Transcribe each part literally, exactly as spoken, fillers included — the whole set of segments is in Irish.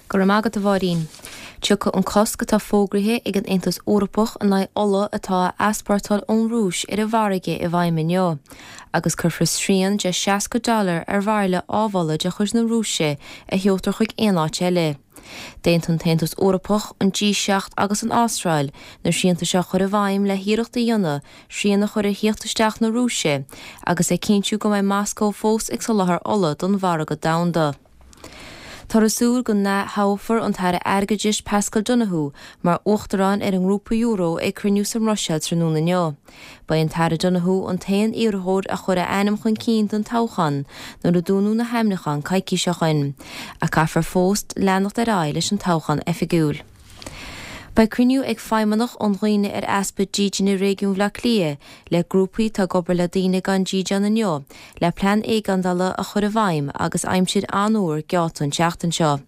Go raibh maith agat a Mháirín. Tiocfaidh an cosc atá fógraithe ag an Aontas Eorpach in aghaidh ola atá á easpórtáil ón Rúis ar an bhfarraige i bhfeidhm inniu, agus cuirfear srian de seasca dollar ar bhairille amhola de chuid na Rúise a sheoltar chuig aon áit eile. D'aontaigh an tAontas Eorpach, an G seacht agus an Astráil na srianta seo a chur i bhfeidhm le hiarracht a dhéanamh srian a chur ar thíocht isteach na Rúise agus le cinntiú go mbeidh Moscó fós ag soláthar ola don mhargadh domhanda. Táthar ag súil go n-atoghfar an tAire Airgeadais Paschal Donohoe mar Uachtarán ar an nGrúpa Euro ag cruinniú sa mBruiséil tráthnóna inniu. Ba é an tAire Donohoe an t-aon iarrthóir a chuir a ainm chun cinn don toghchán nuair a dúnadh na hainmniúcháin coicís ó shin, ach caithfear fós leanacht ar aghaidh leis an toghchán oifigiúil. Beidh cruinniú ag feidhmeannach um dhaoine ar easpa dídine réigiún Bhaile Átha Cliath le grúpaí atá ag obair le daoine gan dídean inniu le plean éigeandála a chur i bhfeidhm agus aimsir an-fhuar geallta an tseachtain seo.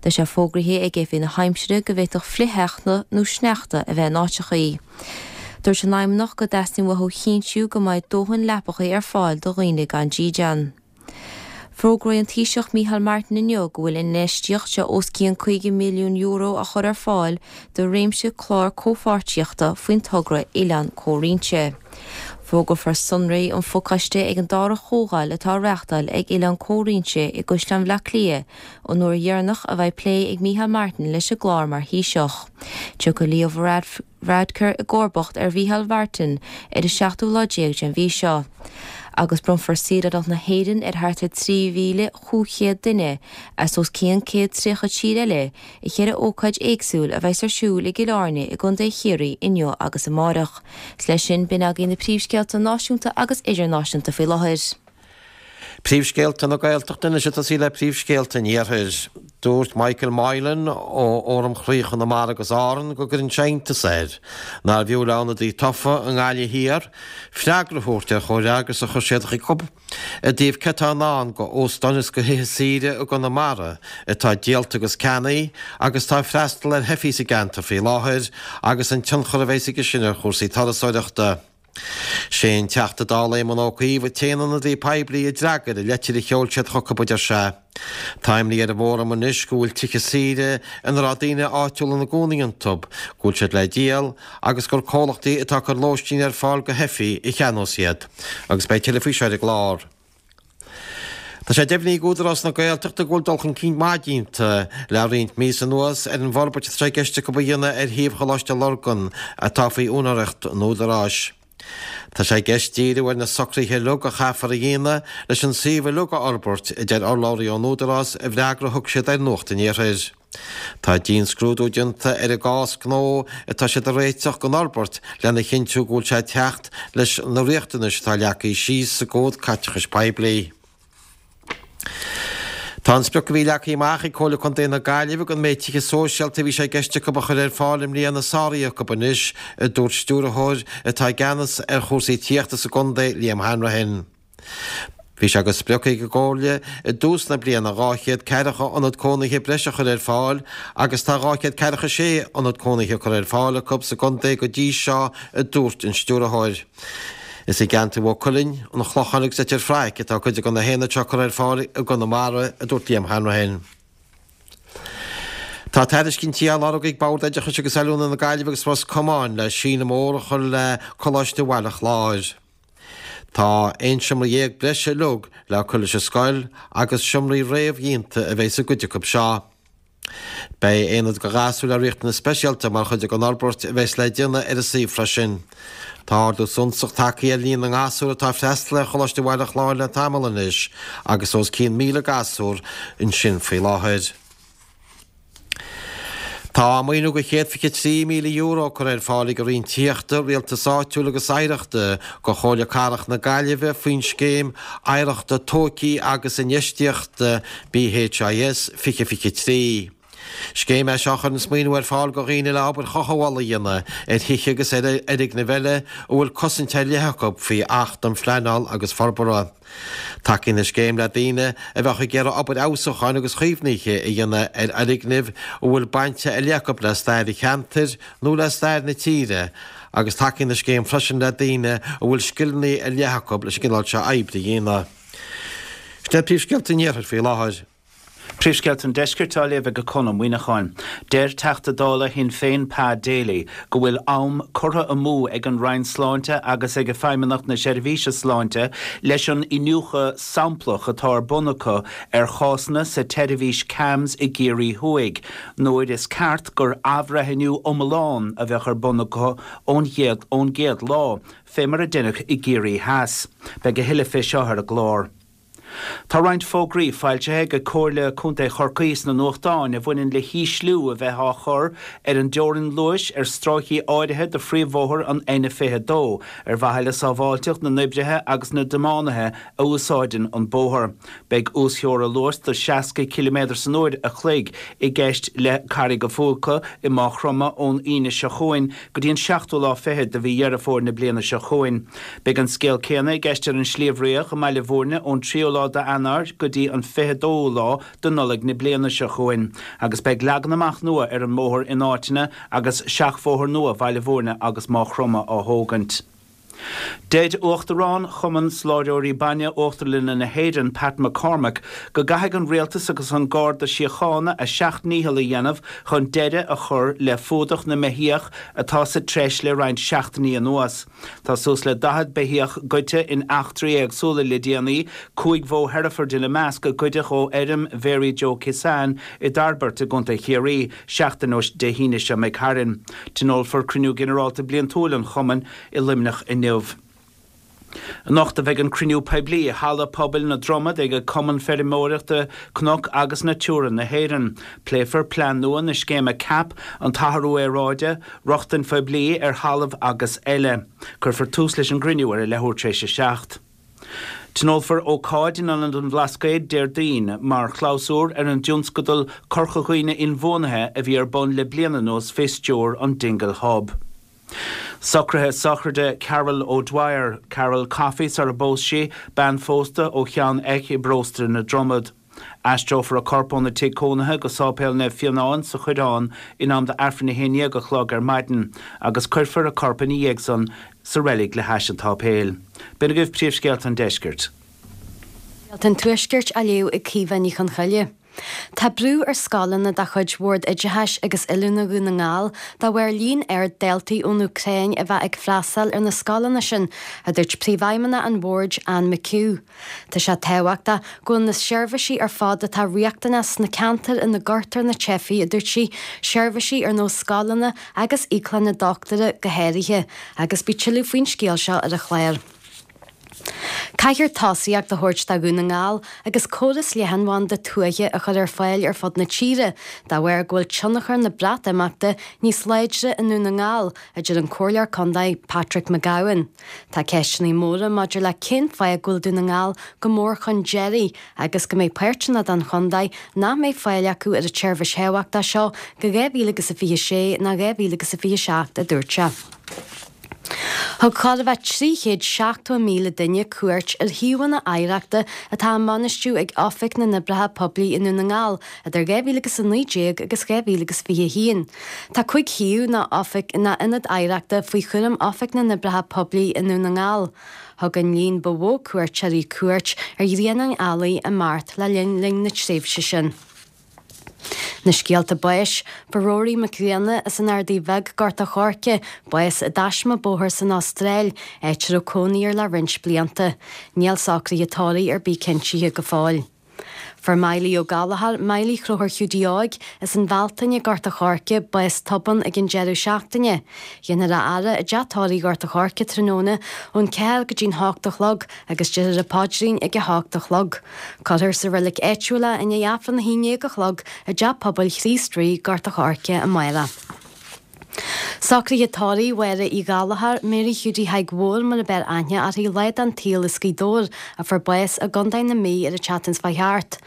Tá sé fógraithe ag Oifig na hAimsire go bhféadfadh flichshneachta nó sneachta a bheith in áiteachaí. Dúirt an fheidhmeannach go dteastaíonn uathu a chinntiú go mbeidh dóthain leapachaí ar fáil do dhaoine gan dídean. Fógróidh an Taoiseach Micheál Martin inniu go bhfuil infheistíocht de os cionn caoga milliún euro á chur ar fáil do réimse clár comhpháirtíochta faoin togra Oileán Comhroinnte. Fógrófar sonraí an phacáiste ag an dara comhdháil atá á reáchtáil ag Oileán Comhroinnte i gCaisleán Bhaile Átha Cliath, an uair dheireanach a bheidh plé ag Micheál Martin leis an gclár mar Thaoiseach. Tiocfaidh Leo Varadkar i gcomharbacht ar Mhicheál Martin ar an seachtú lá déag den mhí seo. Agus bronnfar saoránacht na hÉireann ar thart ar trí mhíle chúig chéad duine as os cionn céad tríocha tír eile i cheithre ócáid éagsúil a bheas ar siúl i gCill Airne i gContae Chiarraí inniu agus amárach. 'S leis sin, b'in agaibh na príomhscéalta náisiúnta agus idirnáisiúnta faoi láthair. Príomhscéalta na Gaeltachta anois ag tosaí le príomhscéalta an Iarthair. Dúirt Michael Moylan ó Fhóram Chroí Chonamara agus Árann go gcuireann sé iontas air nárbh fhiú le ionadaí tofa i nGaillimh Thiar freagra a thabhairt ar chomhfhreagras a chuir siad chucu i dtaobh céard atá i ndán go óstáin is go thithe saoire i gConamara atá díolta agus ceannaithe agus atá ag freastal ar theifigh sa gceantar faoi láthair agus an tionchar a bheas aige sin ar chúrsaí turasóireachta. Sé an Teachta Dála Éamon Ó Cuív an t-aon ionadaí poiblí a d'fhreagair an leitir a sheol siad chucu, a deir sé. Tá imní ar an bhFóram anois go bhfuil tithe saoire ina raibh daoine áitiúla ina gcónaí iontu, go bhfuil siad le díol agus gur comhlachtaí atá ag cur lóistín ar fáil go theifigh a cheannós iad. Agus beidh tuilleadh faoi seo ar an gclár. Tá sé deimhnithe ag Údarás na Gaeltachta go bhfuil dul chun cinn maith déanta le roinnt míosa anuas ar an bhforbairt atá sé i gceist acu a dhéanamh ar shuíomh Choláiste Lurgan atá faoi úinéireacht an Údaráis. Tá sé i gceist díriú ar na socruithe uilig a chaithfear a dhéanamh leis an suíomh uilig a fhorbairt, a deir urlabhraí ón Údarás i bhfreagra a thug siad ar Nuacht an Iarthair. Tá dianscrúdú déanta ar an gcás gnó atá siad a réiteach don fhorbairt lena chinntiú go bhfuil sé ag teacht leis na riachtanais atá leagtha síos sa gCód Caiteachais Poiblí. Tá an sprioc a bhí leagtha amach ag Comhairle Contae na Gaillimhe don méid tithe sóisialta a bhí sé i gceist acu a chur ar fáil i mbliana sáraithe acu anois, a dúirt stiúrthóir atá i gceannas ar chúrsaí tithíochta sa gcontae, Liam Hanrahan. Bhí sé de sprioc ag an gComhairle i dtús na bliana dhá chéad ceathracha ionad cónaithe breise a chur ar fáil agus tá dhá chéad ceathracha sé ionad cónaithe curtha ar fáil acu sa gcontae go dtí seo, a dúirt an stiúrthóir. Is i gceantar Mhaigh Cuilinn, an Chlocháin agus Leitir Fraic atá cuid de na haonaid seo curtha ar fáil i gConamara, a dúirt Liam Hanrahan. Tá tairiscintí á lorg ag Bord Oideachais agus Oiliúna na Gaillimhe agus Ros Comáin le síneadh mór a chur le Coláiste Bhaile Chláir. Tá aon seomra dhéag breise uilig le cur leis an scoil agus seomraí réamhdhéanta a bheidh sa gcuid acu seo. Beidh aonad do ghasúir le riachtanais speisialta mar chuid den fhorbairt a bheas le déanamh ar an suíomh freisin. Tá ardú suntasach tagtha ar líon na ngasúr atá ag freastal ar Choláiste Bhaile Chláir le tamall anois agus os cionn míle gasúr ansin faoi láthair. Tá maoiniú de chéad fiche trí míle euro curtha ar fáil ag an Roinn Tithíochta, Rialtais Áitiúil agus Oidhreachta do Chomhairle Cathrach na Gaillimhe faoin Scéim Oidhreachta Tógtha agus Infheistíochta, BHIS, fiche fiche trí. Scéim é seo a chuireanns maoiniú ar fáil do dhaoine le obair chothabhála a dhéanamh ar thithe agus ar fhoirgnimh eile a bhfuil cosaint ar leith acu faoi Acht um Phleanáil agus Forbartha. Tacaíonn an scéim le daoine a bheadh ag iarraidh obair fheabhsúcháin agus chaomhnaithe a dhéanamh ar fhoirgnimh a bhfuil baint ar leith acu le stair an cheantair nó le stair na tíre agus tacaíonn an scéim freisin le daoine a bhfuil scileanna ar leith acu leis an gcineál seo oibre a dhéanamh. Sin iad príomhscéalta an Iarthair faoi láthair. Príomhscéalta an Deiscirt á léamh ag Conn Ó Muíneacháin. Deir Teachta Dála Shinn Féin Pa Daly go bhfuil am curtha amú ag an Roinn Sláinte agus ag Feidhmeannacht na Seirbhíse Sláinte leis an iniúchadh samplach atá ar bun acu ar chásanna sa tseirbhís CAMHS i gCiarraí Thuaidh, nuair is ceart gur athbhreithniú iomlán a bheadh ar bun acu ón gcéad ón gcéad lá, fé mar a deineadh i gCiarraí Theas. Beidh a thuilleadh fé seo ar an gclár. Tá roinnt fógraí foilsithe ag Comhairle Contae Chorcaí sna nuachtáin a bhaineann le hísliú a bheith á chur ar an dteorainn luais ar stráicí áirithe de phríomhbhóthar an N fiche dó ar mhaithe le sábháilteacht na n-oibrithe agus na dtiománaithe a úsáideann an bóthar. Beidh uastheora luais de seasca ciliméadar san uair a chloig i gceist le Carraig a' Phúca i Maigh Chromtha ón Aoine seo chugainn go dtí an seachtú lá fichead de mhí Dheireadh Fómhair na bliana seo chugainn. Beidh an scéal céanna i gceist ar an Sliabh Riach i mBaile Bhúirne ón tríú lá d'Eanáir go dtí an fiche dóú lá de Nollaig na bliana seo chugainn, agus beidh leagan amach nua ar an mbóthar in áiteanna agus seachbhóthar nua Bhaile Bhúirne agus Maigh Chromtha á thógaint. Deir Uachtarán Chumann Soláthróirí Bainne Uachtarlainne na hÉireann, Pat McCormack, go gcaithfidh an Rialtas agus an Garda Síochána a seacht ndícheall a dhéanamh chun deireadh a chur le fuadach na mbeithíoch atá sa treis le roinnt seachtainí anuas. Tá suas le daichead beithíoch goidte in eachtraí éagsúla le déanaí, cúig bhó Hereford ina measc a goideadh ó fheirm Mhary Joe Kissane i dTairbeart i gContae Chiarraí seachtain ó Dé hAoine seo imigh tharainn. Tionólfar cruinniú ginearálta bliantúil an chumainn i Luimneach inniu. Anocht a bheidh an cruinniú poiblí i Halla Pobail na Dromad ag Cumann Feirmeoireachta Cnoc agus Natura na hÉireann. Pléifear plean nua na scéime CAP, an t-athrú aeráide, rochtain phoiblí ar thalamh agus eile. Cuirfear tús leis an gcruinniú ar a leathuair tar éis a seacht. Tionólfar ócáid in Ionad an Bhlascaoid Déardaoin mar chlabhsúr ar an dtionscadal Corca Dhuibhne Inbhuanaithe a bhí ar bun le bliain anuas fé stiúir an Dingle Hub. Socruithe sochraide Carol O'Dwyer, Carol Coffey sar a bpós sí, bean phósta ó Cheann Eich i bparóiste na Dromad. Aistreofar a corp óna tigh cónaithe go Sáipéal Naomh Fionán sa Choireán in am d'Aifreann a haon déag a chlog ar maidin agus cuirfear a corp ina dhiaidh san sa reilig le hais an tsáipéil. B'in agaibh príomhscéalta an deiscirt. Scéalta an Tuaiscirt á léamh ag Caoimhe Ní Chonchoille. Tá brú ar scoileanna de chuid Bhord Oideachais agus Oiliúna Dhún na nGall dá bharr líon ard daltaí ón Úcráin a bheith ag freastal ar na scoileanna sin, a dúirt Príomhfheidhmeannach an Bhoird, Anne McHugh. Tá sé tábhachtach go bhfuil na seirbhísí ar fad atá riachtanach sna ceantair ina gcuirtear na teifigh, a dúirt sí, seirbhísí ar nós scoileanna agus íoclanna dochtúra go háirithe, agus beidh tuilleadh faoin scéal seo ar an chlár. Caithfear tosaíocht a thabhairt do Dhún na nGall agus córas leathanbhanda tuaithe a chur ar fáil ar fud na tíre dá bharr go bhfuil tionchar na Breatimeachta níos láidre i nDún na nGall, a deir an Comhairleoir Contae Patrick McGowan. Tá ceisteanna móra maidir le cén fáth go bhfuil Dún na nGall go mór chun deiridh agus go mbeidh páirteanna den chontae nach mbeidh fáil acu ar an tseirbhís thábhachtach seo go dhá mhíle agus a fiche sé ná dhá mhíle agus a fiche seacht, a dúirt sé. Thug chóir a bheith trí chéad seachtó míle duine cuairt ar shuíomhanna oidhreachta atá á mbainistiú ag Oifig na nOibreacha Poiblí i nDún na nGall idir dhá mhíle agus a naoi déag agus dhá mhíle agus fiche a haon. Tá cúig shuíomh ná oifig ná ionad oidhreachta faoi chúram Oifig na nOibreacha Poiblí i nDún na nGall. Thug an líon ba mhó cuairteoirí cuairt ar Ghrianán Ailigh i Mart le linn linn na tréimhse sin. Na scéalta báis, Fuair Rory Mac Grianna as an Ardaidh Bheag, Gort a' Choirce, bás i dtaisme bóthair san Astráil, áit a raibh cónaí air le roinnt blianta. Níl socruithe tórraimh ar bith cinntithe go fóill. Fuair Miley Ó Gallchóir, Miley Chróchúir Hiúdaí Óig, as an Bhealtaine, Gort a' Choirce, bás tobann ag an deireadh seachtaine. Dhéanfar a fhaire i dteach tórraimh Ghort a' Choirce tráthnóna ón ceathair go dtí'n hocht a chlog agus déarfar an paidrín ag a hocht a chlog. Cuirfear sa reilig áitiúil é i ndiaidh Aifreann a haon déag a chlog i dTeach Pobail Chríost Rí, Gort a' Choirce amárach. Socruithe tórraimh Mháire Uí Ghallchóir, Mary Hiúdaí Thaidhg Mhóir mar a b'fhearr aithne uirthi lá den tsaol as Gaoth Dobhair a fuair bás i gContae na Mí ar an tseachtain seo chuaigh thart.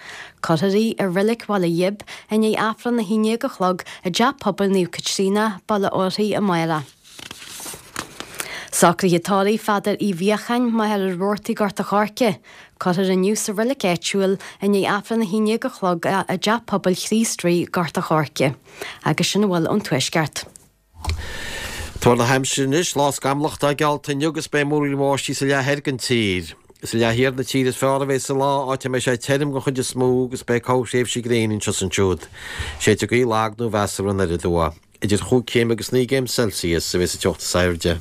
Cuirfear í i Reilig Bhaile Ghib i ndiaidh Aifreann a haon déag a chlog i dTeach Pobail Naomh Caitríona, Baile Órthaí amárach. Socruithe tórraimh Pheadair Uí Mhiacháin, Machaire Rabhartaigh, Gort a' Choirce. Cuirfear inniu sa reilig áitiúil i ndiaidh Aifreann a haon déag a chlog é i dTeach Pobail Chríost Rí, Gort a' Choirce. Agus sin a bhfuil ón Tuaisceart. Tuar na haimsire anois, lá scamallach atá geallta inniu agus beidh múraíl bháistí sa leath thoir den tír. Is i leath thiar na tíre is fearr a bheas an lá, áit a mbeidh sé tirim den chuid is mó agus beidh corrthréimhsí gréine anseo is ansiúd. Séidfidh gaoth lag nó mheasartha anoir aduaidh. Idir chúig chéim agus naoi gcéim Celsius a bheas an teocht is airde.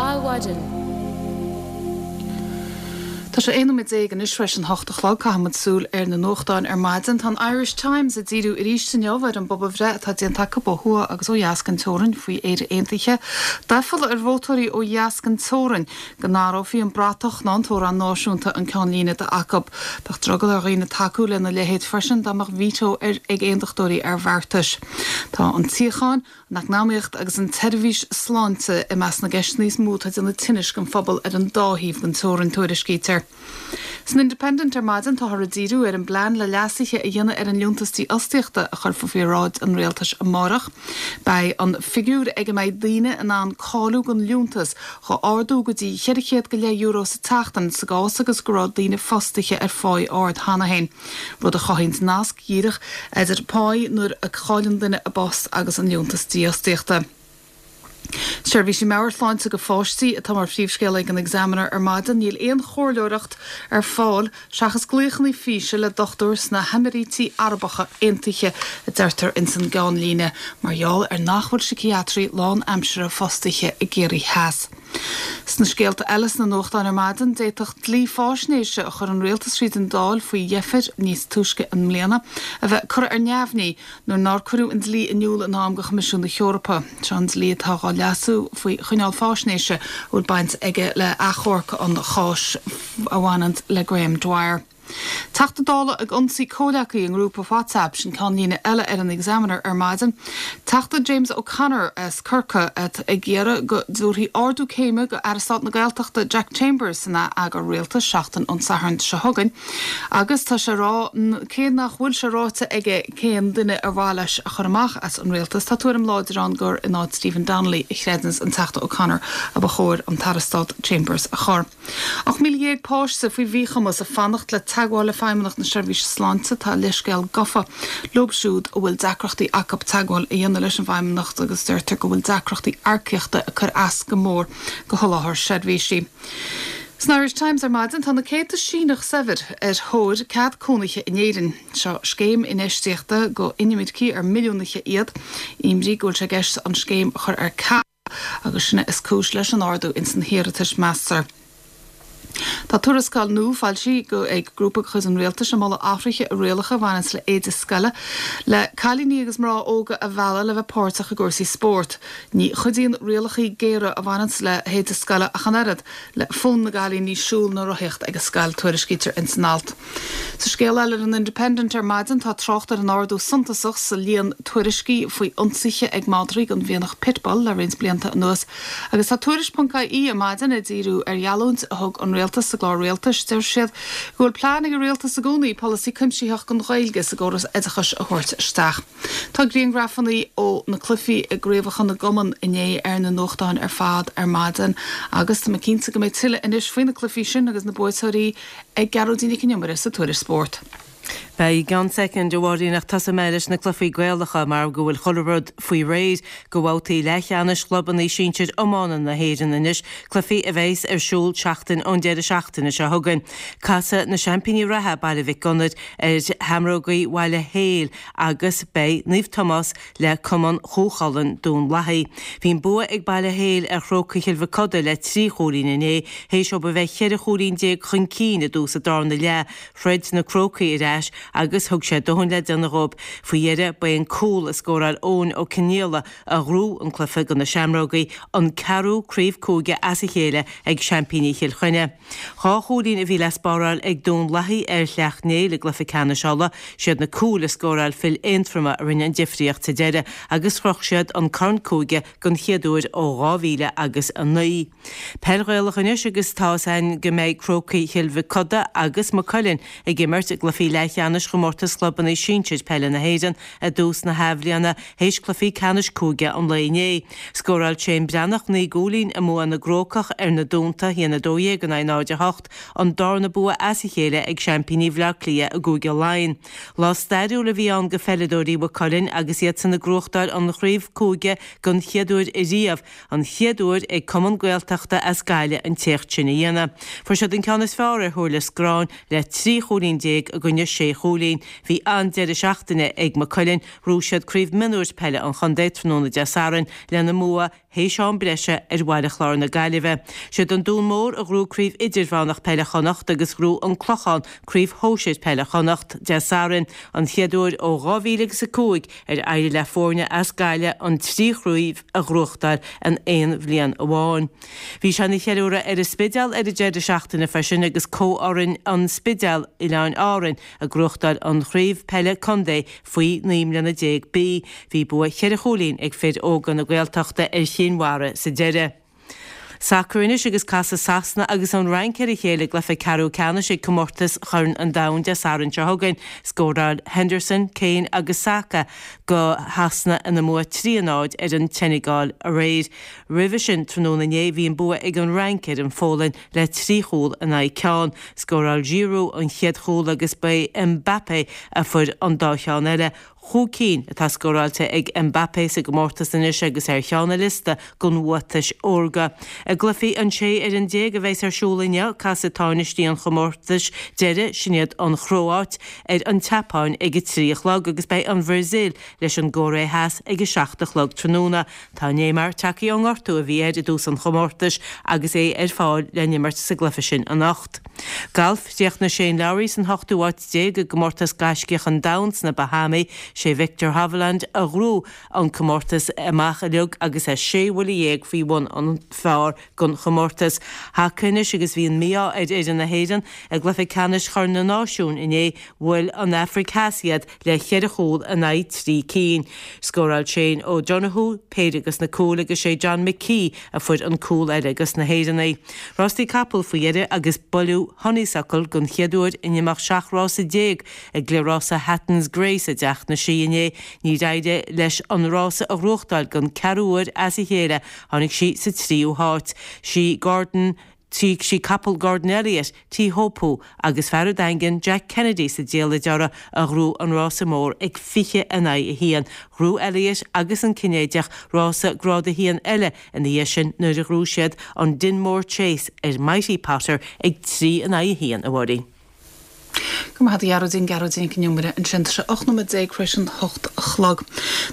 Adhmhaidin. Tá sé aon nóiméad déag anois tar éis an hocht a chlog. Caithfimid súil ar na nuachtáin ar maidin. Tá an Irish Times ag díriú arís inniu ar an bpobalbhreith atá déanta acu ó thuaidh agus ó dheas den teorainn faoi Éire Aontaithe. D'aiféala ar vótóirí ó dheas den teorainn go n-athrófaí an bratach ná an t-amhrán náisiúnta an ceannlíne atá acu. Bheadh drogall ar dhaoine tacú lena leithéid freisin dá mbeadh veto ar ag aontachtóirí ar bheartais. Tá an tsíocháin, an eacnamaíocht agus an tseirbhís sláinte i measc na gceisteanna is mó atá ag déanamh tinnis don phobal ar an dá thaobh den teorainn, tuairiscítear. San Independent ar maidin táthar ag díriú ar an bplean le leasuithe a dhéanamh ar an Liúntas Dífhostaíochta a chuirfear faoi bhráid an rialtais amárach. Beidh an figiúr ag a mbeidh daoine in ann cáiliú don liúntas dhá ardú go dtí cheithre chéad go leith euro sa tseachtain sa gcás agus go raibh daoine fostaithe ar pháí ard cheana féin, rud a chothaíonn nasc díreach idir páí nuair a chailleann duine a bpost agus an liúntas dífhostaíochta. Seirbhísí meabhairshláinte do pháistí atá mar phríomhscéal ag an Examiner ar maidin. Níl aon chomhairleoireacht ar fáil seachas glaochanna físe le dochtúir sna hEimíríti Arabacha Aontaithe, a deirtear ins an gceannlíne, mar gheall ar nach bhfuil síciatraí lánaimseartha fostaithe i gCiarraí Theas. Sna scéalta eile sna nuachtáin ar maidin, d'fhéadfadh dlí fáisnéise a chuir an rialtas tríd an Dáil faoi dheifir níos túisce i mbliana a bheith curtha ar neamhní nuair nár cuireadh an dlí in iúl in am do Choimisiún na hEorpa. Seo an dlí atá dhá leasú faoi choinneáil fáisnéise a bhfuil baint aige le achomharc an cháis a bhaineann le Graham Dwyer. Teachta Dála ag ionsaí comhleacaí i ngrúpa WhatsApp, sin ceannlíne eile ar an Examiner ar maidin. Teachta James O'Connor as Corcaigh atá ag iarraidh go dtabharfaí ardú céime do Aire Stáit na Gaeltachta Jack Chambers san ath-eagar rialtais seachtain ón Satharn seo chugainn agus tá sé ag rá cé nach bhfuil sé ráite aige cén duine ar mhaith leis a chur amach as an rialtas, tá tuairim láidir ann gur in áit Stephen Donnelly a chreideanns an Teachta O'Connor a ba chóir an tAire Stáit Chambers a chur. Ocht míle dhéag páiste faoi mhíchumas ag fanacht le teagmháil le Feidhmeannacht na Seirbhíse Sláinte. Tá leithscéal gafa leo siúd a bhfuil deacrachtaí acu teagmháil a dhéanamh leis an bhFeidhmeannacht agus deirtear go bhfuil deacrachtaí earcaíochta ag cur as go mór do sholáthar seirbhísí. San Irish Times ar maidin tá na céadta Síneach saibhir ar thóir cead cónaithe in Éirinn. Seo scéim infheistíochta do inimircigh ar milliúnaithe iad. Imní go bhfuil sé i gceist an scéim a chur ar ceal agus sin is cúis leis an ardú ins na hiarratais, meastar. Tá tuarascáil nua foilsithe ag grúpa de chuid an rialtais ag moladh athruithe i rialacha a bhaineanns le éide scoile le cailíní agus mná óga a mhealladh le bheith páirteach i gcúrsaí spóirt. Ní chuidíonn rialacha géara a bhaineanns le héide scoile ach an oiread le fonn na gcailíní siúl nó rothaíocht ag an scoil, tuairiscítear ins an alt. Sa scéal eile ar an Independent ar maidin tá trácht ar an ardú suntasach sa líon tuairiscí faoi ionsaithe ag madraí den mhianach pitbull le roinnt blianta anuas agus tá Tuairisc ponc ie ar maidin ag díriú ar gheallúint a thug an rialtas sa gclár rialtais. Deir siad go bhfuil plean ag an rialtas i gcónaí polasaí cuimsitheach don Ghaeilge sa gcóras oideachais a thabhairt isteach. Tá grianghrafanna ó na cluichí i gcraobhacha na gcumann inné ar na nuachtáin ar fad ar maidin agus tá mé cinnte go mbeidh tuilleadh anois faoi na cluichí sin agus na buaiteoirí ag Gearóidín Nic an Iomaire sa Tuairisc Spóirt. Beidh i gceann soicind, a Mháirín, ach tosóidh mé leis na cluichí Gaelacha mar go bhfuil chuile rud faoi réir do bhabhtaí leathcheannais chlubanna sinsir iomána na hÉireann anois, cluichí a bheas ar siúl seachtain ón deireadh seachtaine seo chugainn. Casfaidh na seaimpíní reatha, Baile Mhic Gonair, ar Sheamrógaí Bhaile Héil agus beidh Naomh Tomás le Cumann Chú Chulainn, Dún Lathaí. Bhí an bua ag Baile Héil ar Chrócaigh Chill Mhic Coda le trí chúilín inné, théis dóibh a bheith cheithre chúilín déag chun cinn i dtús an darna leath. Throid na Crócaigh ar ais agus thug sé dóthain le déanamh dhóibh. Faoi dheireadh, ba é an cúl a scóráil Eoin Ó Cionnaola a ghnóthaigh an cluiche do na Seamrógaí, an ceathrú craobh cúige as a chéile ag seaimpíní Chill Chainnigh. Dhá chúilín a bhí le spáráil ag Dún Lathaí ar Shleacht Néill i gcluiche ceannais Uladh. Siad na cúil a scóráil fir Aontroma a rinne an difríocht sa deireadh agus shroich siad an corn cúige den chéad uair ó dhá mhíle agus a naoi. Peil Ghaelach anois agus tá 'fhios a'inn go mbeidh Crócaigh Chill Mhic Coda agus Maigh Cuilinn ag imirt i gcluichí leathcheannais leathcheannais chomórtas chlubanna sinsir peile na hÉireann i dtús na hathbhliana théis cluichí ceannais cúige an lae inné. Scóráil Shane Breathnach naoi gcúilín i mbua na gCrócach ar na Dúnta, a haon a dó dhéag in aghaidh náid a hocht, an darna bua as a chéile ag seaimpíní Bhaile Átha Cliath i gCúige Laighean. Lá stairiúil a bhí ann go pheileadóirí Mhaigh Cuilinn agus iadsan ag gnóthachtáil an chraobh cúige don chéad uair ariamh, an chéad uair ag cumann Gaeltachta as Gaillimh an t-éacht sin a dhéanamh. Fuair siad an ceann is fearr ar Thúr Lios Gráin le trí chúilín déag i gcoinne sé chúilín. Bhí an-deireadh seachtaine ag Maigh Cuilinn, ghnóthaigh siad Craobh Mionúir Peile an Chontae tráthnóna Dé Sathairn lena mbua théis am breise ar Bhaile Chláir na Gaillimhe. Siad an Dún Mór a ghnóthaigh Craobh Idirmheánach Peile Chonnacht agus ghnóthaigh an Clochán Craobh Shóisir Peile Chonnacht Dé Sathairn, an chéad uair ó dhá mhíle agus a cúig ar éirigh le foirne as Gaillimh an trí chraobh a ghnóthachtáil in aon bhliain amháin. Bhí sé ina cheiliúradh ar an Spidéal ar an deireadh seachtaine freisin agus comhfhoireann an Spidéil, Oileáin Árainn, ag gnóthachtáil an Chraobh Peile Contae faoi naoi mbliana déag B. Bhí bua cheithre chúilín ag fir óga na Gaeltachta ar Chinn Mhara sa deireadh. Sacar anois agus casfaidh Sasana agus an Fhrainc ar a chéile i gcluiche ceathrú ceannais ag comórtas Chorn an Domhain Dé Sathairn seo chugainn. Scóráil Henderson, Kane agus Saka go Shasana ina mbua trí a náid ar an tSeineagáil aréir. Roimhe sin tráthnóna inné bhí an bua ag an Fhrainc ar an Pholainn le trí chúl in aghaidh ceann. Scóráil Giroud an chéad chúl agus ba é Mbappé a fuair an dá cheann eile. Chúig cinn atá scóráilte ag Mbappé sa gcomórtas anois agus ar cheann an liosta den bhuatais órga. I gcluichí an sé fhoireann déag a bheas ar siúl inniu, casfaidh tánaistí an chomórtais deiridh, sin iad an Chróáit, ar an tSeapáin ag a trí a chlog agus beidh an Bhrasaíl leis an gCóiré Theas ag a seacht a chlog tráthnóna. Tá Neymar tagtha ón ngortú a bhí air i dtús an chomórtais agus é ar fáil le n-imirt sa gcluiche sin anocht. Galf, Chríochnaigh Shane Lowry san hochtú háit déag i gcomórtas Gaiscíoch an Domhain sna Bahámaí. Sé Viktor Hovland a ghnóthaigh an comórtas amach uilig agus é sé bhuille dhéag faoi bhun an phar don chomórtas. Haca anois agus bhí an mí-ádh ar fhoireann na hÉireann i gcluiche ceannais Chorn na Náisiún inné, bhuail an Afraic Theas iad le cheithre chúl in aghaidh trí cinn. Scóráil Shane O'Donoghue péire dos na cúil agus sé John McKee a fuair an cúl eile dos na hÉireannaigh. Rástaí capall faoi dheireadh agus buaileadh Honeysuckle don chéad uair in imeacht seacht rása déag i gcliathrása Hatton's Grace i dTeach na Sí inné. Níor éirigh leis an rása a ghnóthachtáil don ceathrú huair as a chéile, tháinig sí sa tríú háit. Sí Gordon Sí capall Gordon Elliott, Teahupoo agus fear an Daingin Jack Kennedy sa diallait orthu a ghnóthaigh an rása mór ag fiche in aghaidh a haon. Ghnóthaigh Elliott agus an Cinnéideach rása grád a haon eile ina dhiaidh sin nuair a ghnóthaigh siad an Dinmore Chase ar Mighty Potter ag trí in aghaidh a haon, a Mháirín. Go maith a Ghearóidín, Gearóidín Nic an Iomaire ansin. Tá sé ocht nóiméad déag tar éis an hocht a chlog.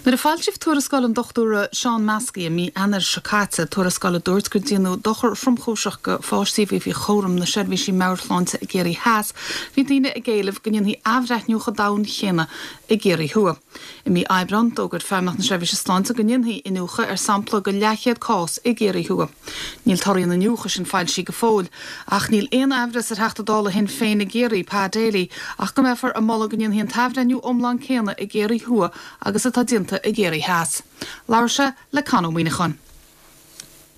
Nuair a foilsíodh tuarascáil an Dochtúra Seán Maskey i mí Eanáir seo caite, tuarascáil a dúirt gur déanadh dochar thromchúiseach go pháistí a bhí faoi chúram na seirbhísí meabhairshláinte i gCiarraí Theas, bhí daoine ag éileamh go ndéanfaí athbhreithniú chomh domhain chéanna i gCiarraí Thuaidh. I mí Aibreáin, d'fhógair Feidhmeannacht na Seirbhíse Sláinte go ndéanfaí iniúchadh ar sampla de leathchéad cás i gCiarraí Thuaidh. Níl torthaí an iniúchadh sin foilsithe go fóill, ach níl aon aimhreas ar Theachta Dála Shinn Féin i gCiarraí, Pa Daly, ach go mbeifear ag moladh go ndéanfaí an t-athbhreithniú iomlán céanna i gCiarraí Thuaidh agus atá déanta i gCiarraí Theas. Labhair sé le Con Ó Muíneacháin.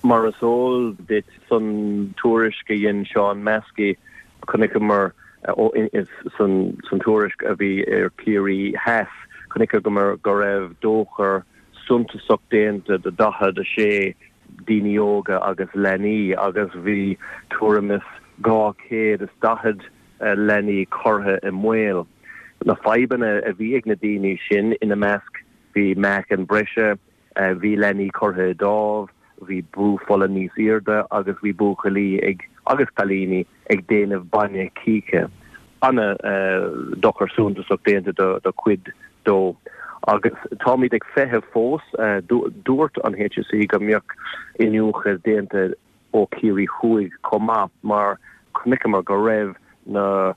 Mar is eol duit, san tuairisc a dhein Seán Maskey, chonaiceamar san tuairisc a bhí ar Ciarraí Theas, chonaiceamar go raibh dochar suntasach déanta do daichead a sé daoine óga agus leanaí agus bhí tuairim is dhá chéad is daichead leanaí curtha i mbaol. Na fadhbanna a bhí ag na daoine sin, ina measc bhí meáchan breise, Bhí leanaí curtha i dtámh, bhí brú fola níos airde agus bhí buachaillí ag agus cailíní ag déanamh bainne cíche. An-dochar suntasach déanta do chuid dó. Agus táimid ag feitheamh fós. Dúirt an HSE go mbeadh iniúchadh déanta ó Chiarraí Thuaidh chomh maith mar chonaiceamar go raibh na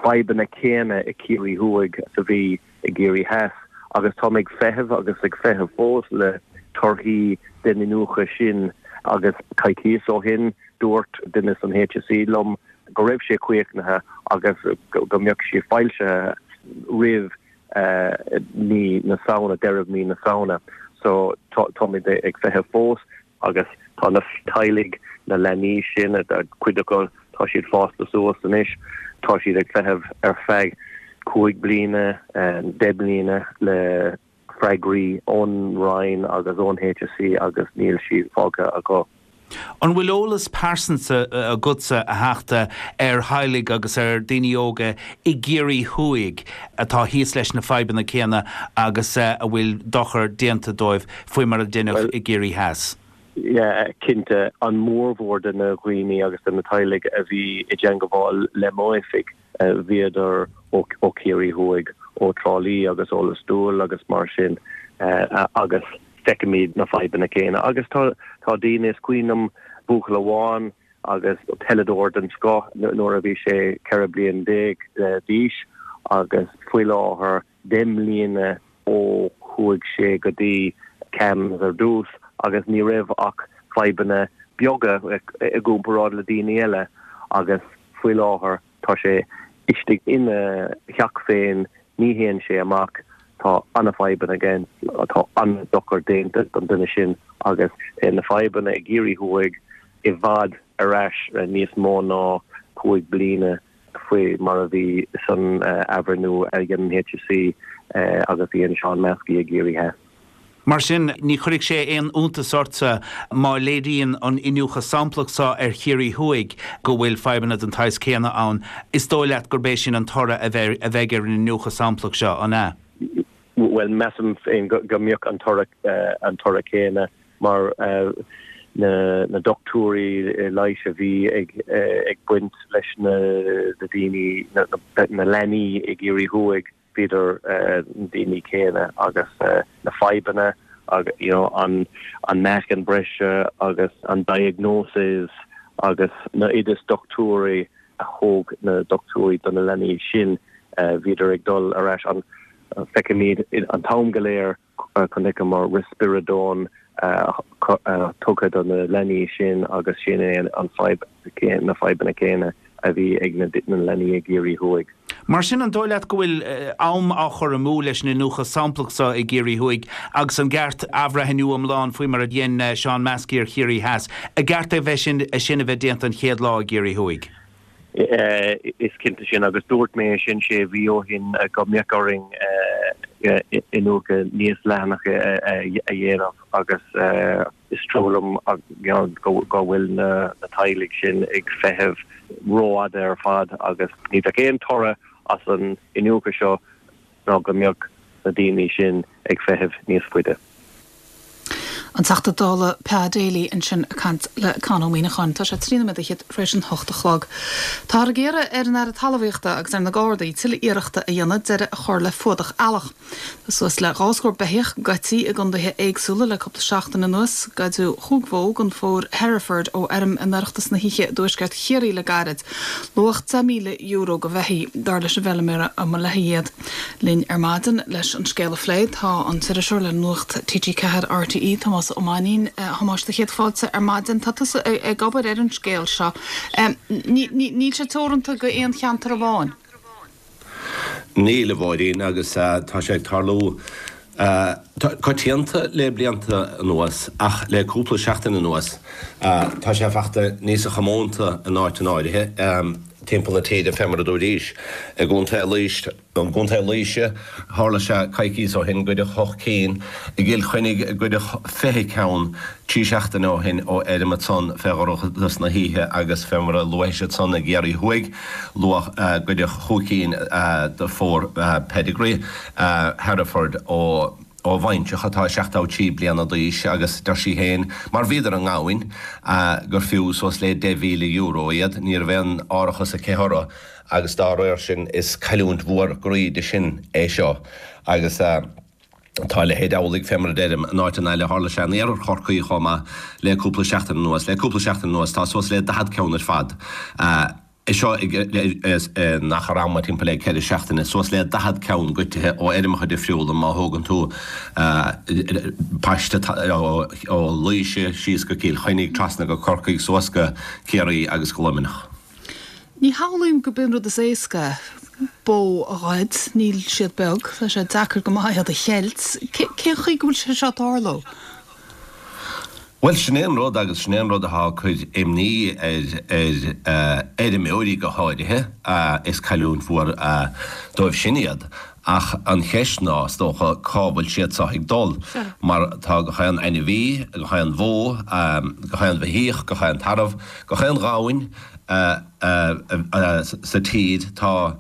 fadhbanna céanna i Ciarraí Thuaidh is a bhí i gCiarraí Theas agus táim ag feitheamh agus ag feitheamh fós le torthaí den iniúchadh sin agus coicíos ó shin dúirt duine san HSE liom go raibh sé críochnaithe agus go mbeadh sé foilsithe roimh mí na Samhna, deireadh mí na Samhna. So táimid ag feitheamh fós. Agus tá na teaghlaigh, na leanaí sin, cuid acu, tá siad fásta suas anois, tá siad ag feitheamh ar feadh cúig bliana, deich mbliana le freagraí ón Roinn agus ón HSE agus níl siad fágtha acu. An bhfuil eolas pearsanta agatsa, a Theachta, ar theaghlaigh agus ar daoine óga i gCiarraí Thuaidh atá thíos leis na fadhbanna céanna agus a bhfuil dochar déanta dóibh faoi mar a deineadh i gCiarraí Theas? Yeah, cinnte, an mórmhór de na dhaoine agus de na teaghlaigh a bhí i dteangabháil le m'oifig, bhíodar ó Chiarraí Thuaidh, ó Trá Lí agus ó Lios Tuathail agus mar sin agus feicimid na fadhbanna céanna. Agus tá daoine, is cuimhin liom buachaill amháin agus peileadóir den scoth nuair a bhí sé ceithre bliain déag d'aois agus faoi láthair deich mbliana ó chuaigh sé go dtí CAMHS ar dtús agus ní raibh ach fadhbanna beaga i gcomparáid le daoine eile agus faoi láthair tá sé istigh ina theach féin, ní théann sé amach, tá an-fhadhbanna aige, tá an-dochar déanta don duine sin agus na fadhbanna i gCiarraí Thuaidh i bhfad ar ais níos mó ná cúig bliana faoi mar a bhí san athbhreithniú a dhein an HSE agus a dhein Seán Maskey i gCiarraí Theas. Mar sin, ní chuirfidh sé aon iontas ortsa má léiríonn an iniúchadh samplach seo ar Chiarraí Thuaidh go bhfuil fadhbanna den tsaghas céanna ann. Is dóigh leat gurb é sin an toradh a bheidh ar an iniúchadh samplach seo, an ea? Bhuel, measaim féin go mbeadh an toradh céanna mar na dochtúirí leighis a bhí ag baint leis na daoine, na leanaí i gCiarraí Thuaidh. bhíodar na daoine céanna agus na fadhbanna agus you know an an meáchan breise agus an diagnosis agus na oideas dochtúirí a thóg na dochtúirí do na leanaí sin bhíodar ag dul ar ais an feicimid an t-am go léir chonaiceamar risperidone tugtha do na leanaí sin agus sin é an fadhb na fadhbanna céanna a bhí ag na leanaí i gCiarraí Thuaidh. Mar sin, an dóigh leat go bhfuil am á chur amú leis an iniúchadh samplach seo i gCiarraí Thuaidh agus an gceart athbhreithniú iomlán faoi mar a dhein Seán Maskey ar Chiarraí Theas, an gceart é bheith sin é sin a bheith déanta an chéad lá i gCiarraí Thuaidh? Is cinnte sin agus dúirt mé é sin sé mhí ó shin go mbeadh orainn iniúchadh níos leathanacha a dhéanamh agus is trua liom go bhfuil na teaghlaigh sin ag feitheamh rófhada ar fad agus ní bheadh aon toradh as an iniúchadh seo ná go mbeadh na daoine sin ag feitheamh níos faide. An Teachta Dála Pa Daly ansin ag caint le Conn Ó Muíneacháin. Tá sé trí nóiméad fhichead tar éis an hocht a chlog. Táthar ag iarraidh ar an Aire Talmhaíochta agus ar na Gardaí tuilleadh iarrachta a dhéanamh deireadh a chur le fuadach eallach. Tá suas le dhá scór beithíoch goidte i gcontaetha éagsúla le cúpla seachtain anuas. Goideadh chúig bhó den phór Hereford ó fheirm in oireachtas na hoíche i dtuaisceart Chiarraí le gairid. Luach deich míle euro do bheithígh, dar leis an bhfeilméara a mba léi iad. Linn ar maidin leis an scéal a phlé tá an t-iriseoir le Nuacht T G ceathair R T E, Tomás Ó Mainnín. A Thomáis, do chéad fáilte ar maidin. Tá tusa ag obair ar an scéal seo. Níl sé teoranta go aon cheantar amháin? Níl, a Mháirín, agus tá sé ag tarlú coitianta le blianta anuas ach le cúpla seachtain anuas tá sé fachta níosa chomónta in áiteanna áirithe timpeall na tíre, fé mar a dúraís. I gContae Laois, i gContae Laoise, tharla sé coicíos ó shin, goideadh ocht cinn, i gCill Chainnigh goideadh fiche ceann trí seachtaine ó shin ó fheirm ansan fé dhorchadas na hoíche agus fé mar a luaís ansan i gCiarraí Thuaidh, luadh goideadh chúig cinn de phór pedigree Hereford ó bhaintreach atá seachtó trí bliana d'aois agus deir sí féin, mar bhíodar i ngamhain, gur fiú suas le deich mhíle euro iad. Ní raibh aon árachas aici orthu agus dá réir sin is cailliúint mhór groí di sin é seo agus. Tá a leithéid amhlaidh, fé mar a deirim, in áiteanna eile. Tharla sé in iarthar Chorcaí chomh maith le cúpla seachtain anuas. Le cúpla seachtain anuas tá suas le daichead ceann ar fad, é seo in achar ama timpeall le ceithre seachtaine, suas le daichead ceann goidte ó fheirmeacha difriúla má thógann tú paiste ó Laoise síos go Cill Chainnigh, trasna go Corcaigh, suas go Ciarraí agus go Luimneach. Ní shamhlaím gurb é an rud is éasca bó a ghoid, níl siad beag, tá sé deacair go maith iad a cheilt. Cén chaoi go bhfuil sé seo ag tarlú? Bhuel, sin é an rud agus sin é an rud atá ag cur imní ar ar fheirmeoirí go háirithe, is cailliúint mhór dóibh sin iad. Ach an cheist ná, is dócha, cá bhfuil siad seo ag dul? Mar tá gach aon ainmhí, gach aon bhó, gach aon bheithíoch, gach aon tarbh, gach aon ghamhain sa tír, tá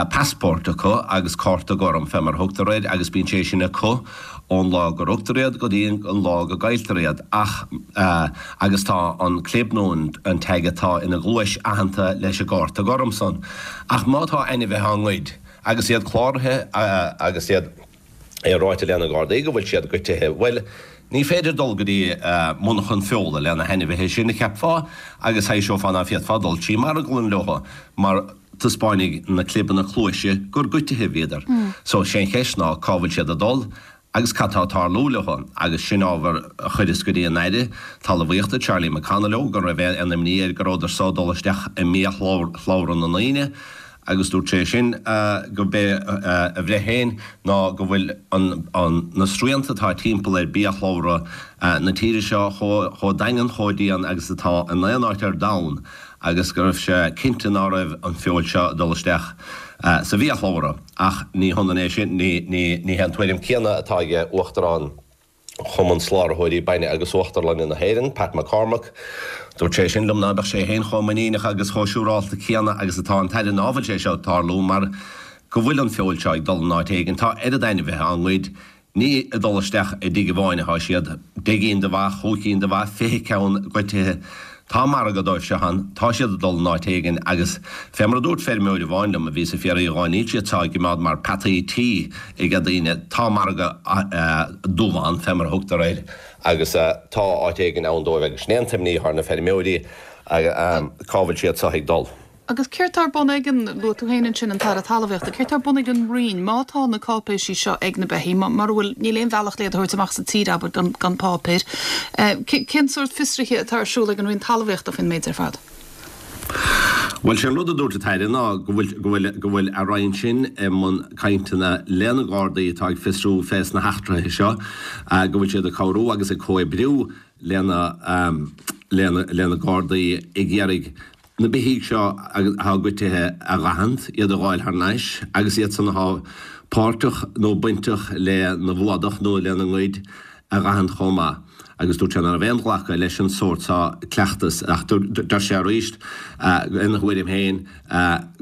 passport acu agus cárta gorm fé mar a thugtar air agus bíonn sé sin acu ón lá go rugtar iad go dtí an lá go gcailltear iad ach agus tá an clib nó an tag atá ina gcluais aitheanta leis an gcárta gorm san. Ach má tá ainmhithe á ngoid agus iad cláraithe agus iad é ráite le na Gardaí go bhfuil siad goidte, bhuel, ní féidir dul go dtí monarchan feola le na hainmhithe sin a cheapfá agus thaibhseofá ná féadfá dul trí marglann leo mar taispeánfaidh na clibeanna cluaise gur goidte a bhíodar. So, sé an cheist ná cá bhfuil siad ag dul agus cad tá ag tarlú leo agus sin ábhar a chuireas go dtí an Aire Talmhaíochta Charlie McConalogue go raibh aon imní air go rabhadar so ag dul isteach i mbiashlabhra na ndaoine agus dúirt sé sin go b'é a bhreith féin ná go bhfuil na srianta atá timpeall ar biashlabhra na tíre seo chomh daingean chomh dian agus atá in aon áit ar domhan agus go raibh sé cinnte ná raibh an feoil seo ag dul isteach sa bhiashlabhra. Ach ní hionann é sin, ní hé an tuairim céanna atá ag Uachtarán Chumann Soláthróirí Bainne agus Uachtarlainne na hÉireann, Pat McCormack. Dúirt sé sin liom ná beadh sé féin chomh muiníneach agus chomh siúrálta céanna agus atá an tAire ná fuil sé seo ag tarlú mar go bhfuil an feoil seo ag dul in áit éigin. Tá oiread ainmhithe á ngoid. Ní ag dul isteach i dtigh amháin atá siad, deich gcinn de bha, chúig cinn de bha, fiche ceann goidte. Tá margadh dóibh seo ann, tá siad ag dul in áit éigin agus fé mar a dúirt feirmeoir amháin liom a bhí sa Phiaraí dhá níl siad seo á gcimeád mar peataí tí ag daoine, tá margadh dubh ann fé mar a thugtar air agus tá áit éigin ann dóibh agus sin é an t-imní atá ar na feirmeoirí cá bhfuil siad seo ag dul. Agus céard tá ar bun ag an, luaigh tú féin ansin an tAire Talmhaíochta, céard tá ar bun ag an Roinn má tá na cáipéisí seo ag na beithígh, mura bhfuil, níl aon bhealach le iad a thabhairt amach as an tír, abair, gan, gan páipéir. Cén sórt fiosraithe atá ar siúl ag an Roinn Talmhaíochta faoin méid ar fad? Bhuel, sé an rud a dúirt an tAire ná go bhfuil, go bhfuil, go bhfuil a Roinn sin i mbun cainteanna le na Gardaí atá ag fiosrú fés na heachtraithe seo, go bhfuil siad ag cabhrú agus ag comhoibriú lena, lena, lena Gardaí ag iarraidh na beithígh seo atá goidte a dh'aithint, iad a dh'fháil thar n-ais, agus iad san athá páirteach nó bainteach le na bhfuadach nó lena ngoid a dh'aithint chomh maith. Agus dúirt sé ná raibh aon ghlacadh leis an sórt seo cleachtas, ach deir sé arís, ina thuairim féin,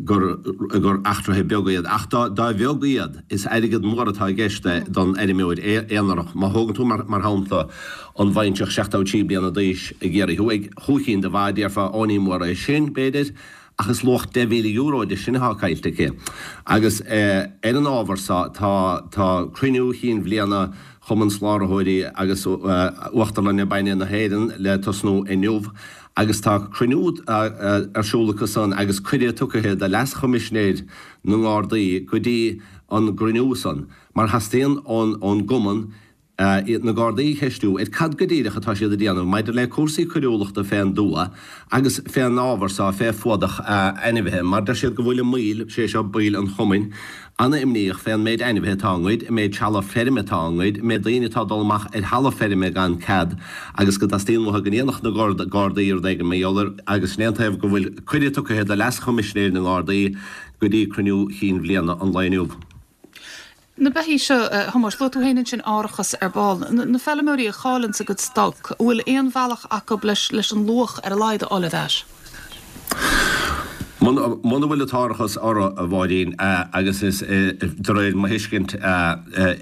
gur gur eachtraithe beaga iad. Ach dá dá bheag iad, is airgead mór atá i gceist don fheirmeoir aonarach. Má thógann tú mar mar shampla an bhaintreach seachtó trí bliana d'aois i gCiarraí Thuaidh, chúig chinn de bha, déarfá, ó ní mór é sin, b'fhéidir, ach is luach deich mhíle euro de sin atá caillte aici. Agus ar an ábhar so, tá tá cruinniú chinn bhliana Chumann Soláthróirí agus Uachtarlainne Bainne na hÉireann le tosnú inniu agus tá cruinniú ar siúl acu san agus cuireadh tugtha do Leas-Choimisinéir na nGardaí go dtí an gcruinniú san mar theastaíonn ón gCumann na Gardaí a cheistiú ar cad go díreach atá siad a déanamh maidir le cúrsaí coiriúlachta fén dtuath agus fén ábhar so fé fuadach ainmhithe mar deir siad go bhfuil i mbaol, sé seo baill an chumainn, ana-imníoch fén méid ainmhithe atá á ngoid, an méid trealamh feirme atá á ngoid, an méid daoine atá ag dul amach ar thalamh feirme gan cead agus go dteastaíonn uathu go ndéanfadh na Gardaí rud éigin mar gheall air agus sin é an taobh go bhfuil cuireadh tugtha do Leas-Choimisinéir na nGardaí go dtí cruinniú chinn bhliana an lae inniu. Na beithígh seo, a Thomáis, luaigh tú féin ansin árachas ar ball. Na feilméaraí a chailleanns a gcuid stoc, an bhfuil aon bhealach acu leis leis an luach ar a laghad a fháil ar ais? Muna bhfuil an t-árachas orthu, a Mháirín, agus is, de réir mo thuiscint,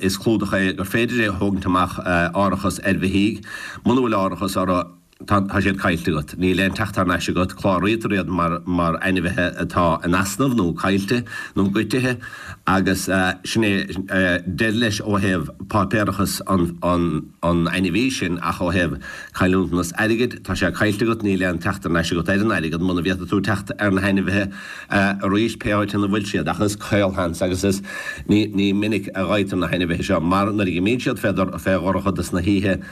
is clúdach é gur féidir é a thógaint amach, árachas ar bheithígh, muna bhfuil árachas orthu, tá siad caillte agat. Níl aon teacht thar n-ais agat. Cláraítear iad mar mar ainmhithe atá in easnamh nó caillte nó goidte agus sin é deireadh leis ó thaobh páipéarachas an an an ainmhí sin ach ó thaobh cailliúntanas airgid, tá sé caillte agat, níl aon teacht thar n-ais agat ar an airgead muna bhféadfaidh tú teacht ar na hainmhithe arís pé áit ina bhfuil siad. Ach is caolsheans agus is ní ní minic a fhaightear na hainmhithe seo mar nuair a imíonn siad fé fé dhorchadas na hoíche,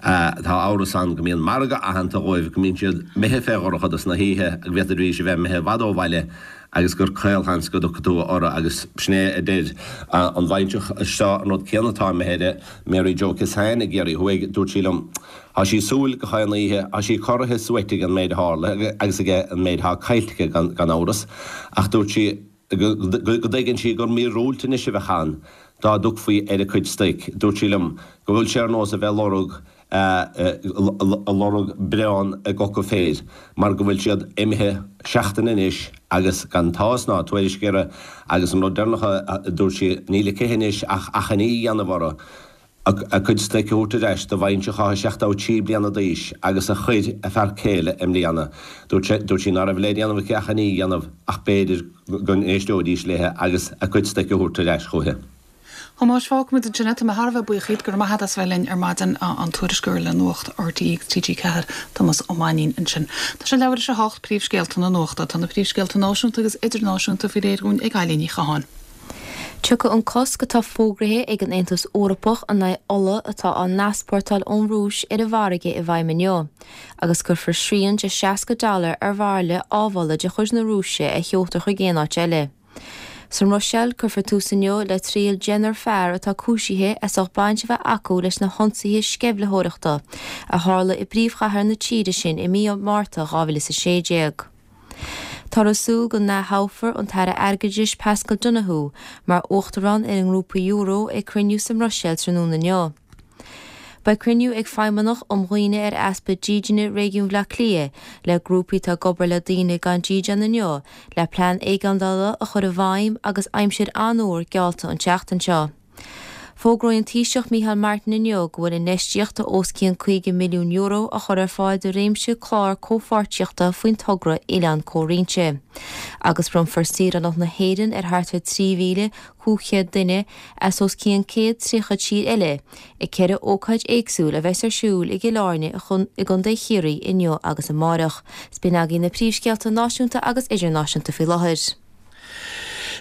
Tá amhras ann go mbíonn margadh aitheanta dhóibh, go mbíonn siad imithe fé dhorchadas na hoíche, go bhféadfaidís a bheith imithe i bhfad ó bhaile agus gur caolsheans go dtiocfaidh tú orthu agus sin é a deir an bhaintreach seo an rud céanna atá imithe air, Mary Jo Kissane i gCiarraí Thuaidh, dúirt sí liom, tá sí ag súil go chaon oíche, tá sí corraithe suaite ag an méid a tharla agus ag an méid atá caillte aici gan amhras ach dúirt sí go dtuigeann sí gur míorúilt anois a bheadh ann dá dtiocfaí ar a cuid stoic. Dúirt sí liom go bhfuil sé ar nós a bheith lorg ag lorg bréan i gcoca féir mar go bhfuil siad imithe seachtain anois agus gan tásc ná tuairisc orthu agus an rud deireanach a dúirt sí, níl aici anois ach achainí a dhéanamh orthu a cuid stoic a thabhairt ar ais do bhaintreach atá seachtó trí bliana d'aois agus a chuir a fear céile i mbliana. Dúirt sé, dúirt sí ná raibh le déanamh aici ach achainí a dhéanamh ach b'fhéidir go n-éisteoidís léithe agus a cuid stoic a thabhairt ar ais chúithi. Thomáis, fágfaimid ansin é. Tá mé thar a bheith buíoch díot. Go raibh maith agat as bheith linn ar maidin, an tuairisceoir le Nuacht RTÉ agus T G ceathair, Tomás Ó Mainnín ansin. Tá sé leathuair tar éis a hocht, príomhscéalta na nuachta. Tá na príomhscéalta náisiúnta agus idirnáisiúnta faoi réir dhúinn ag Eilín Ní Chatháin. Tiocfaidh an cosc atá fógraithe ag an Aontas Eorpach in aghaidh ola atá á n-easpórtáil ón Rúis ar an bhfarraige i bhfeidhm inniu, agus cuirfear srian de seasca dollar ar bhairille amhola de chuid na Rúise a sheoltar chuig aon áit eile. Sa mBruiséil, cuirfear tús inniu le triail deichniúr fear atá cúisithe as ucht baint a bheith acu leis na hionsaithe sceimhlitheoireachta a tharla i bpríomhchathair na tíre sin i mí Márta dhá mhíle is a sé déag. Táthar ag súil go n-ath-thoghfar an tAire Airgeadais Paschal Donohoe mar Uachtarán ar an nGrúpa Euro ag cruinniú sa mBruiséil tráthnóna inniu. Beidh cruinniú ag Feidhmeannach um Dhaoine ar Easpa Dídine Réigiún Bhaile Átha Cliath le grúpaí atá ag obair le daoine gan dídean inniu le plean éigeandála a chur i bhfeidhm agus aimsir an-fhuar geallta an tseachtain seo. Fógróidh an Taoiseach Micheál Martin inniu go bhfuil infheistíocht de os cionn caoga milliún euro á chur ar fáil do réimse clár comhpháirtíochta faoin togra Oileán Comhroinnte. Agus bronnfar saoránacht na hÉireann ar thart ar trí mhíle cúig chéad duine as os cionn céad tríocha tír eile ag ceithre ócáid éagsúil a bheas ar siúl i gCill Airne i gContae Chiarraí inniu agus amárach. 'S b'in agaibh na príomhscéalta náisiúnta agus idirnáisiúnta faoi láthair.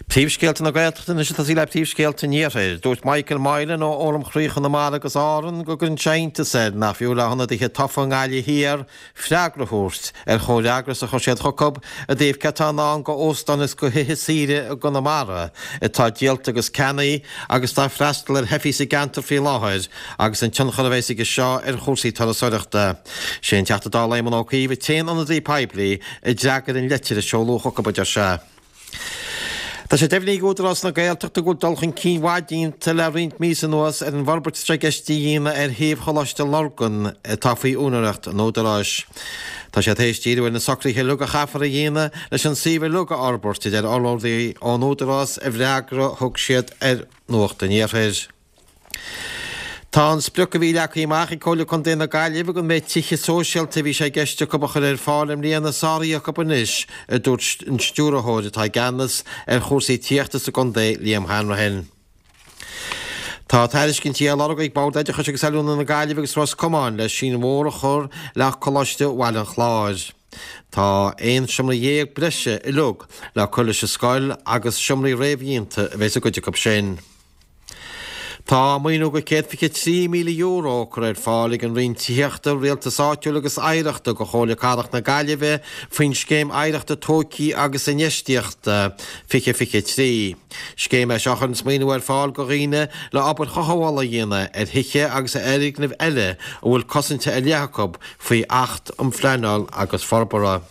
Príomhscéalta na Gaeltachta anois ag tosaí le príomhscéalta an Iarthair. Dúirt Michael Moylan ó Fhóram Chroí Chonamara agus Árann go gcuireann sé iontas air nach fiú le hionadaithe tofa i nGaillimh Thiar freagra a thabhairt ar chomhfhreagras a chuir siad chucu i dtaobh céard atá i ndán go óstáin is go thithe saoire i gConamara atá díolta agus ceannaithe agus atá ag freastal ar theifigh sa gceantar faoi láthair agus an tionchar a bheas aige seo ar chúrsaí turasóireachta. Sé an Teachta Dála Éamon Ó Cuív an t-aon ionadaí poiblí a d'fhreagair an litir a seoladh chucu, a deir sé. Tá sé deimhnithe ag Údarás na Gaeltachta go bhfuil dul chun cinn mhaith déanta le roinnt míosa anuas ar an bhforbairt atá i gceist a dhéanamh ar shuíomh Choláiste Lurgan atá faoi úinéireacht an Údaráis. Tá sé tar éis díriú ar na socruithe uilig a chaithfear a dhéanamh leis an suíomh uilig a fhorbairt, a deir urlabhraí ón Údarás i bhfreagra a thug siad ar Nuacht an Iarthair. Tá an sprioc a bhí leagtha amach ag Comhairle Contae na Gaillimhe don méid tithe sóisialta a bhí sé i gceist acu a chur ar fáil i mbliana sáraithe acu anois, a dúirt an stiúrthóir atá i gceannas ar chúrsaí tithíochta sa gcontae, Liam Hanrahan. Tá tairiscintí á lorg ag Bord Oideachais agus Oiliúna na Gaillimhe agus Ros Comáin le síneadh mór a chur le Coláiste Bhaile an Chláir. Tá aon seomra dhéag breise uilig le cur leis an scoil agus seomraí réamhdhéanta a bheas i gcuid acu sin. Tá maoiniú de céad fiche trí míle euro curtha ar fáil ag an Roinn Tithíochta, Rialtais Áitiúil agus Oidhreachta do Chomhairle Cathrach na Gaillimhe faoin Scéim Oidhreachta Tógtha agus Infheistíochta fiche fiche trí. Scéim é seo a chuireanns maoiniú ar fáil do dhaoine le obair chothabhála a dhéanamh ar thithe agus ar fhoirgnimh eile a bhfuil cosaint ar leith acu faoi Acht um Phleanáil agus Forbartha.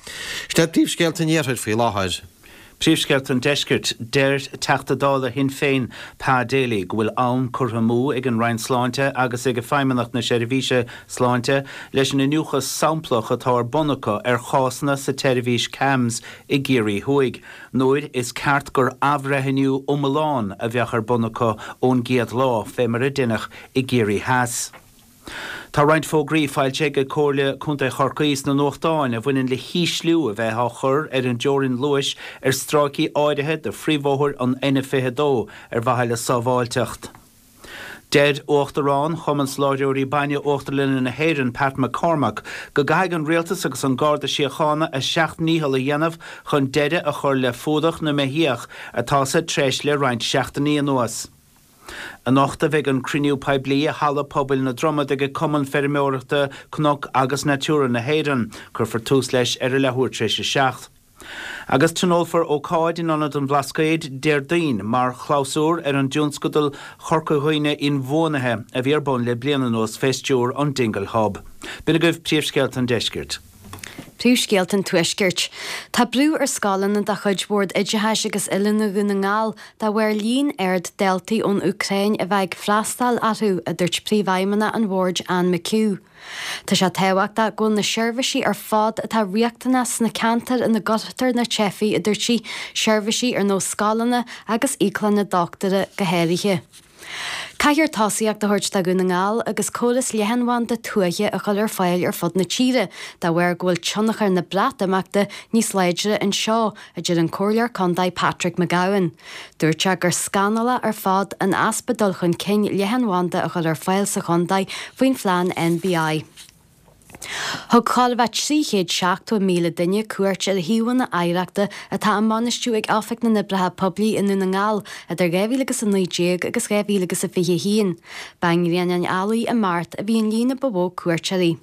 Sin iad príomhscéalta an Iarthair faoi láthair. Príomhscéalta an Deiscirt, Deir Teachta Dála Shinn Féin Pa Daly go bhfuil am curtha amú ag an Roinn Sláinte agus ag Feidhmeannacht na Seirbhíse Sláinte leis an iniúchadh samplach atá ar bun acu ar chásanna sa tseirbhís CAMHS i gCiarraí Thuaidh nuair is ceart gur athbhreithniú iomlán a bheadh ar bun acu ón gcéad lá fé mar a deineadh i gCiarraí Theas. Tá roinnt fógraí faighte ag Comhairle Contae Chorcaí sna nuachtáin a bhaineann le hísliú a bheith á chur ar an dteorainn luais ar stráicí áirithe de phríomhbhóthar an N fiche a dó ar mhaithe le sábháilteacht. Deir Uachtarán Chumann Soláthróirí Bainne Uachtarlainne na hÉireann, Pat McCormack, go gcaithfidh an Rialtas agus an Garda Síochána a seacht ndícheall a dhéanamh chun deireadh a chur le fuadach na mbeithíoch atá sa treis le roinnt seachtainí anuas. Anocht a bheidh an cruinniú poiblí i Halla Pobail na Dromad ag Cumann Feirmeoireachta Cnoc agus Natura na hÉireann. Cuirfear tús leis ar a leathuair tar éis a seacht. Agus tionólfar ócáid in Ionad an Bhlascaoid Déardaoin mar chlabhsúr ar an dtionscadal Chorca Dhuibhne Inbhuanaithe a bhí ar bun le bliain anuas fé stiúir an Dingle Hub. B'in agaibh príomhscéalta an deiscirt. Príomhscéalta an Tuaiscirt. Tá brú ar scoileanna de chuid Bhord Oideachais agus Oiliúna Dhún na nGall de bharr líon ard daltaí ón Úcráin a bheith ag freastal orthu, a dúirt Príomhfheidhmeannach an Bhoird Anne McHugh. Tá sé tábhachtach go bhfuil na seirbhísí ar fad atá riachtanach sna ceantair ina gcuirtear na teifigh, a dúirt sí, seirbhísí ar nós scoileanna agus íoclanna dochtúra go háirithe. Caithfear tosaíocht a thabhairt do Dhún na nGall agus córas leathanbhanda tuaithe a chur ar fáil ar fud na tíre de bharr go bhfuil tionchar na Breatimeachta níos láidre anseo, a deir an Comhairleoir Contae Patrick McGowan. Dúirt sé gur scannalach ar fad an easpa dul chun cinn leathanbhanda a chur ar fáil sa chontae faoin phlean NBI. Thug chóir a bheith trí chéad seachtó míle duine cuairt ar shuíomhanna oidhreachta atá á mbainistiú ag Oifig na nOibreacha Poiblí i nDún na nGall idir dhá mhíle agus a naoi déag agus dhá mhíle agus a fiche a haon. Ba i nGrianán Ailigh i Mart a bhí an líon ba mhó cuairteoirí.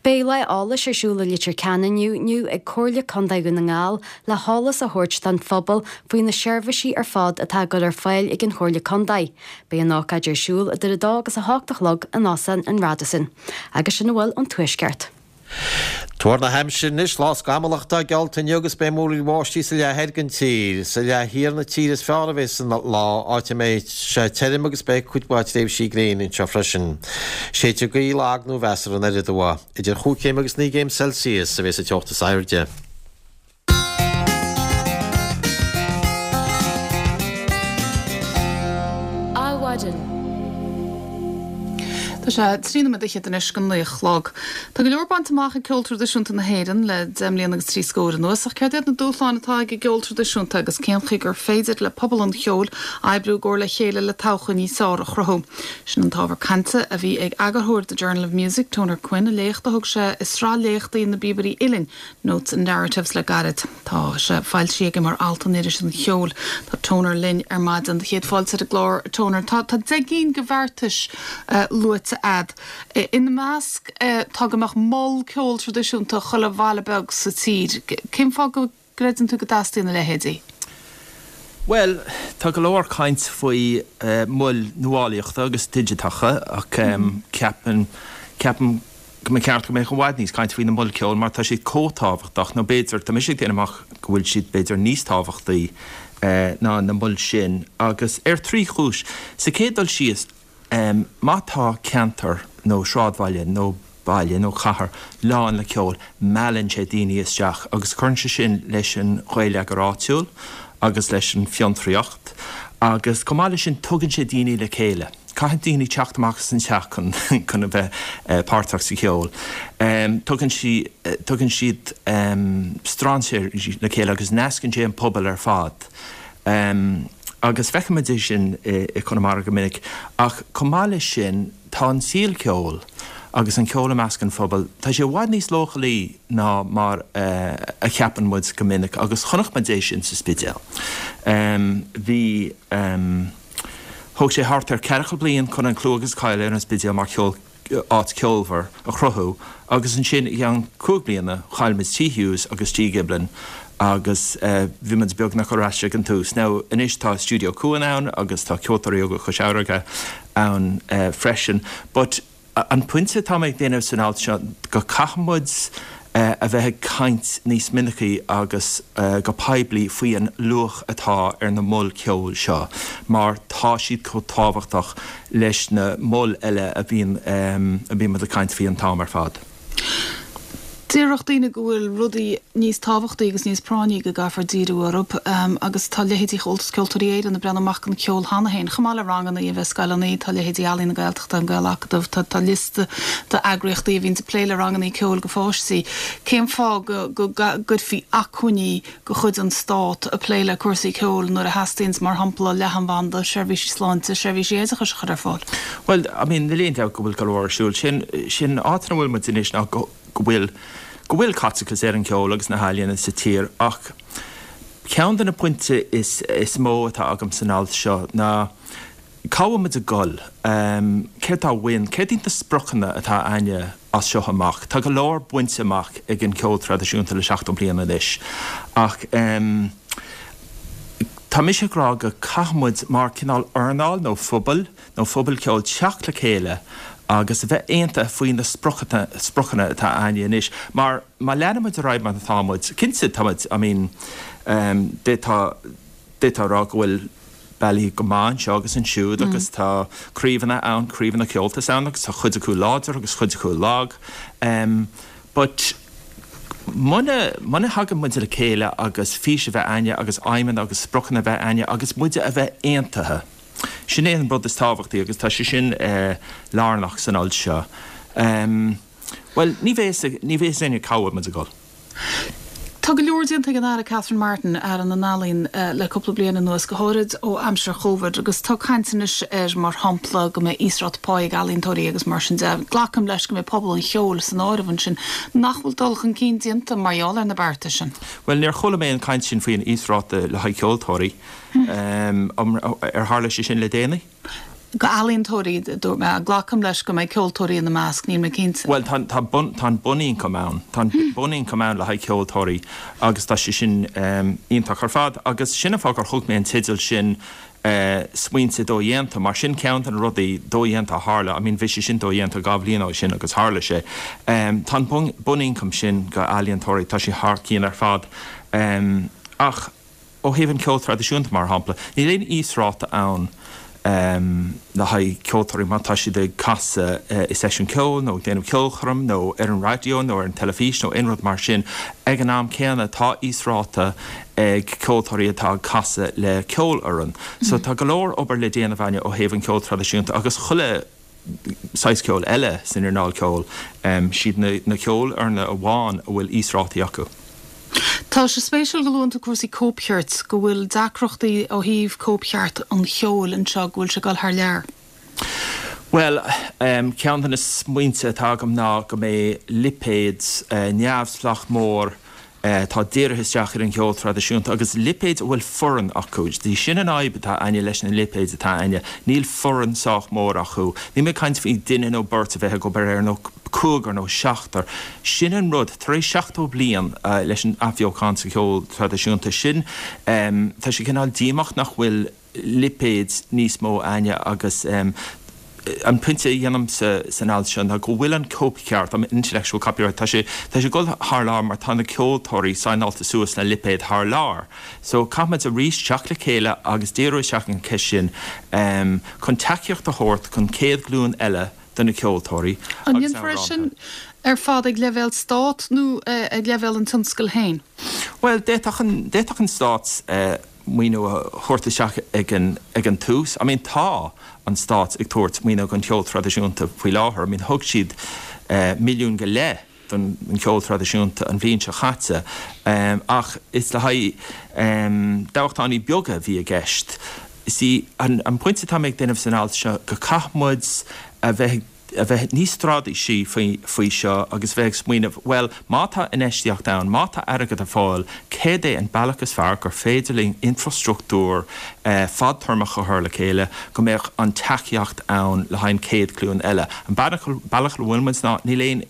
Beidh lá eolais ar siúl i Leitir Ceanainn inniu ag Comhairle Contae Dhún na nGall le heolas a thabhairt don phobal faoi na seirbhísí ar fad atá á gcur ar fáil ag an Chomhairle Contae. Beidh an ócáid ar siúl idir a dó agus a hocht a chlog in Óstán an Radisson. Agus sin a bhfuil ón Tuaisceart. Tuar na haimsire anois, lá scamallach atá geallta inniu agus beidh múraíl bháistí sa leath thoir den tír. Sa leath thiar na tíre is fearr a bheas an lá, áit a mbeidh sé tirim agus beidh cuid mhaith tréimhsí gréine anseo freisin. Séidfidh gaoth lag nó mheasartha anoir aduaidh. Idir chúig chéim agus naoi gcéim Celsius a bheas an teocht is airde. Adhmhaidin. Tá sé trí nóiméad fhichead anois go naoi a chlog. Tá go leor bainte amach ag ceol traidisiúnta na hÉireann le deich mbliana agus trí scór anuas, ach céard iad na dúshláin atá ag an gceol traidisiúnta agus cén chaoi gur féidir le pobal an cheoil oibriú i gcomhar le chéile le todhchaí níos fearr a chruthú? Sin an t-ábhar cainte a bhí ag eagarthóir The Journal of Music, Toner Quinn, i léacht a thug sé i sraith léachtaí na bPíobairí Uilleann, Notes and Narratives le gairid. Tá sé foilsithe aige mar alt in Iris an Cheoil. Tá Toner linn ar maidin. Céad fáilte ar an gclár, Toner. Tá tá deich gcinn de bheartais luaite a'd. Ina measc tá go mbeadh mol ceoil traidisiúnta chuile bhaile beag sa tír. Cén fáth go gcreideann tú go dteastaíonn a leithéidí? Bhuel, tá go leor caint faoi mhoil nuálaíochta agus digiteacha ach ceapaim ceapaim go mba cheart go mbeadh i bhfad níos caint faoi na moil ceoil mar tá siad chomh tábhachtach, nó b'fhéidir, tá mise ag déanamh amach go bhfuil siad b'fhéidir níos tábhachtaí ná na moil sin agus ar trí chúis. Sa chéad dul síos, má tá ceantar nó sráidbhaile nó baile nó cathair lán le ceol, meallann sé daoine isteach agus cuireann sé sin leis an gheilleagar áitiúil agus leis an fiontraíocht agus chomh maith leis sin tugann sé daoine le chéile. Caithfidh daoine teacht amach as an teach chun chun a bheith páirteach sa cheol. Tugann sí tugann siad strainséirí le chéile agus nascann sé an pobal ar fad. Agus feicimid é sin i Conamara go minic. Ach chomh maith leis sin tá an saol ceoil agus an ceol i measc an phobail, tá sé i bhfad níos leochailí ná mar a cheapann muid go minic agus chonaic muid é sin sa Spidéal. Bhí. Thóg sé thart ar ceathracha bliain chun an clú agus cáil ar an Spidéal mar cheol áit ceolmhar a chruthú agus ansin i gceann cúig bliana chaill muid Tigh Hughes agus Tigh Giblin agus bhí muid beagnach ar ais ag an tús. Now anois tá Stiúideo Cuan ann agus tá Ceoltóirí Óga Chois Fharraige ann freisin but An pointe atá mé ag déanamh san alt seo go caithfidh muid a bheith ag caint níos minicí agus go poiblí faoi an luach atá ar na moil ceoil seo mar tá siad chomh tábhachtach leis na moil eile a bhíonn a bhíonn muid ag caint faoi an t-am ar fad. Déarfadh daoine go bhfuil rudaí níos tábhachtaí agus níos práinní go gcaithfear díriú orthu agus tá leithéidí Chomhaltas Ceoltóirí Éireann ag breathnú amach don cheol cheana féin, chomh maith le ranganna a bheith i scoileanna, tá leithéidí Ealaín na Gaeltachta, an Gaelacadamh, tá tá liosta d'eagraíochtaí a bhíonn ag plé le ranganna ceoil do pháistí. Cén fáth go go gcuirfí acmhainní de chuid an Stát ag plé le cúrsaí ceoil nuair a theastaíonns, mar shampla, leathanbhanda, seirbhísí sláinte, seirbhísí oideachais a chur ar fáil? Bhuel, I mean, níl aon dabht go bhfuil go leor ar siúl. Sin sin áit ina bhfuil muid anois ná go go bhfuil go bhfuil caiteachas ar an cheol agus na healaíona sa tír ach ceann de na pointe is is mó atá agam san alt seo ná Cá bhfuil muid ag dul? Céard tá uainn? Céard iad na spriocanna atá againne as seo amach? Tá go leor bainte amach ag an cheol traidisiúnta le seachtó bliain anois ach tá mise ag rá go caithfidh muid mar cineál earnáil nó phobal nó phobal ceoil teacht le chéile agus a bheith aontaithe faoi na spriocanna atá againne anois mar má leanann muid ar aghaidh mar atá muid, cinnte tá muid, I mean, d'fhéadfá a rá go bhfuil bealaí go maith anseo agus ansiúd agus tá craobhanna ann, craobhanna Comhaltas ann agus tá cuid acu láidir agus cuid acu lag. But muna, muna thagann muid le chéile agus fís a bheith againne agus aidhmeanna agus spriocanna a bheith againne agus muide a bheith aontaithe, sin é an rud is tábhachtaí agus tá sé sin lárnach san alt seo. Bhuel, ní bheidh ní bheidh a fhios againne cá bhfuil muid ag dul. Tá go leor déanta ag an Aire Catherine Martin, Aire na nEalaíon, le cúpla bliain anuas, go háirid ó aimsir Chóvid, agus tá caint anois ar, mar shampla, go mbeidh íosráta pá ag ealaíontóirí agus mar sin de. Glacaim leis go mbeidh pobal an cheoil san áireamh ansin. Nach bhfuil dul chun cinn déanta mar gheall ar na bearta sin? Bhuel, níor chuala mé an chaint sin faoin íosráta le haghaidh ceoltóirí. Ar tharla sé sin le déanaí? Go ealaíontóirí, a dúirt mé. Glacaim leis go mbeidh ceoltóirí ina measc, níl mé cinnte. Bhuel, tá, tá bun, tá an bunioncam ann. Tá an bunioncam ann le haghaidh ceoltóirí agus tá sé sin iontach ar fad. Agus sin an fáth gur thug mé an teideal sin Smaointe Dodhéanta, mar sin ceann de na rudaí dodhéanta a tharla, I mean bhí sé sin dodhéanta dhá bhliain ó shin agus tharla sé. Tá an bunioncam sin go ealaíontóirí, tá sé thar cionn ar fad. Ach. Ó thaobh an ceol traidisiúnta, mar shampla, níl aon íosráta ann le haghaidh ceoltóirí má tá siad ag casadh i seisiún ceoil nó ag déanamh ceolchoirm nó ar an raidió nó ar an teilifís nó aon rud mar sin. Ag an am céanna, tá íosráta ag ceoltóirí atá ag casadh le ceolfhoireann. So tá go leor obair le déanamh againne ó thaobh an ceol traidisiúnta agus chuile saghas ceoil eile san earnáil ceoil. Siad na ceolfhoirne amháin a bhfuil íosrátaí acu. Tá sé spéisiúil go luann tú cúrsaí cóipchirt, go bhfuil deacrachtaí ó thaobh cóipcheart an cheoil anseo, go bhfuil sé ag dul thar lear. Bhuel, ceann de na smaointe atá agam ná go mbeidh lipéad neamhspleách mór atá dírithe isteach ar an cheol traidisiúnta agus lipéid a bhfuil foireann acu. Sin an fhadhb atá againne leis na lipéid atá againne, níl foireann sách mór acu. Níl mé ag caint faoi duine nó beirt a bheith ag obair air nó cúigear nó seachtar. Sin an rud, tar éis seachtó bliain leis an athbheochan sa cheol traidisiúnta sin, tá sé cineál díomách nach bhfuil lipéid níos mó againne agus an pointe a dhéanaim san alt seo ná go bhfuil an cóipcheart, an intellectual copyright, tá sé tá sé ag dul thar lear mar tá na ceoltóirí saighneáilte suas le lipéid thar lear. So caithfimid arís teacht le chéile agus díriú isteach ar an cheist sin chun tacaíocht a thabhairt don chéad ghlúin eile de na ceoltóirí An agus ndéanfar é amhránaithe. sin ar fad ag leibhéal stát nó ag leibhéal an tionscail féin? Bhuel, d'fhéadfadh an, d'fhéadfadh an stát maoiniú a thabhairt isteach ag an, ag an tús. I mean, tá an stát ag tabhairt maoiniú don cheol traidisiúnta faoi láthair. I mean, thug siad milliún go leith don cheol traidisiúnta an bhliain seo chaite, ach is le haghaidh dámhachtainí beaga a bhí i gceist. See, an pointe atá mé ag déanamh san alt seo, go caithfidh muid a bheith a bheith níos straitéisí faoi faoi seo agus bheith ag smaoineamh, bhuel, má tá infheistíocht ann, má tá airgead ar fáil, céard é an bealach is fearr gur féidir linn infrastruchtúr fadtéarmach a chur le chéile go mbeadh an tacaíocht ann le haghaidh an chéad ghlúin eile. An bealach bealach a bhfuil muid ná níl aon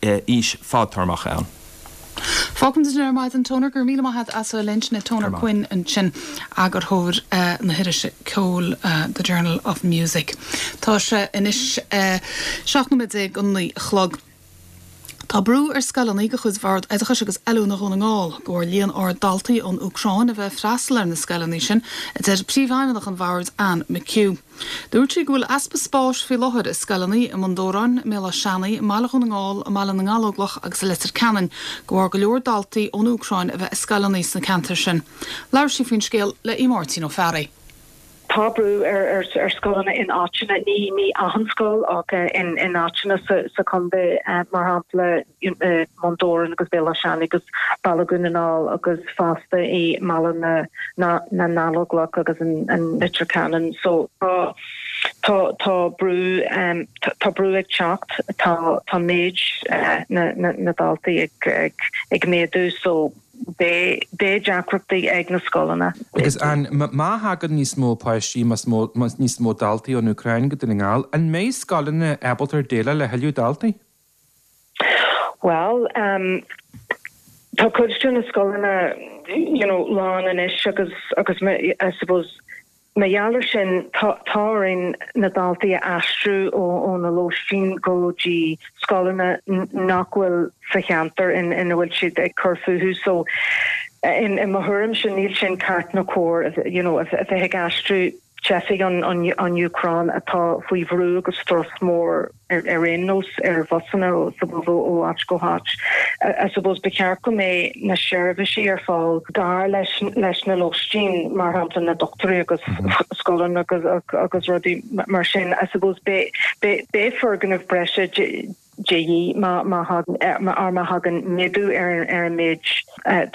fhís fadtéarmach ann. Fágfaimid ansin ar maidin, Toner, go raibh míle maith agat as a bheith linn. Sin é Toner Quinn ansin, eagarthóir na hirise ceoil The Journal of Music. Tá sé anois seacht nóiméad déag go naoi a chlog. Tá brú ar scoileanna de chuid Bhord Oideachais agus Oiliúna Dhún na nGall de bharr líon ard daltaí ón Úcráin a bheith ag freastal ar na scoileanna sin, a deir Príomhfheidhmeannach an Bhoird, Anne McHugh. Dúirt sí go bhfuil easpa spáis faoi láthair i scoileanna i mBun Dobhráin, i mBéal Átha Seanaidh, i mBaile Dhún na nGall, i mBaile na nGallóglach agus i Leitir Ceanainn, de bharr go leor daltaí ón Úcráin a bheith i scoileanna sna ceantair sin. Labhair sí faoin scéal le Aodh Máirtín Ó Fearraigh. Tá brú ar ar scoileanna in áiteanna, ní ní achan scoil ach in in áiteanna sa sa chontae, mar shampla i mBun Dobhráin agus Béal Átha Seanaidh agus Baile Dhún na nGall agus fosta i mBaile na na na nGallóglach agus an Leitir Ceanainn. So tá tá tá brú tá brú ag teacht, tá tá méid na na na daltaí ag ag ag méadú so beidh beidh deacrachtaí ag na scoileanna. Agus an má thagann níos mó páistí más mó níos mó daltaí ón Úcráin go Dún na nGall, an mbeidh scoileanna ábalta déileáil le thuilleadh daltaí? Bhuel, um, tá cuid de na scoileanna you know, lán anois agus agus I suppose Mar gheall air sin, tá orainn na daltaí a aistriú ó na lóistín go dtí scoileanna nach bhfuil sa cheantar ina bhfuil siad ag cur fúthu. So in mo thuairimse níl sin ceart ná cóir you know, a bheith ag aistriú teifigh ón Úcráin atá faoi bhrú agus strus mór ar aon nós ar bhusanna ó áit go háit. I suppose ba cheart go mbeidh na seirbhísí ar fáil gar leis leis na lóistín, mar shampla na dochtúirí agus scoileanna agus agus rudaí mar sin. I suppose beidh beidh foirgneamh breise de dhíth má má má thagann méadú ar ar an méid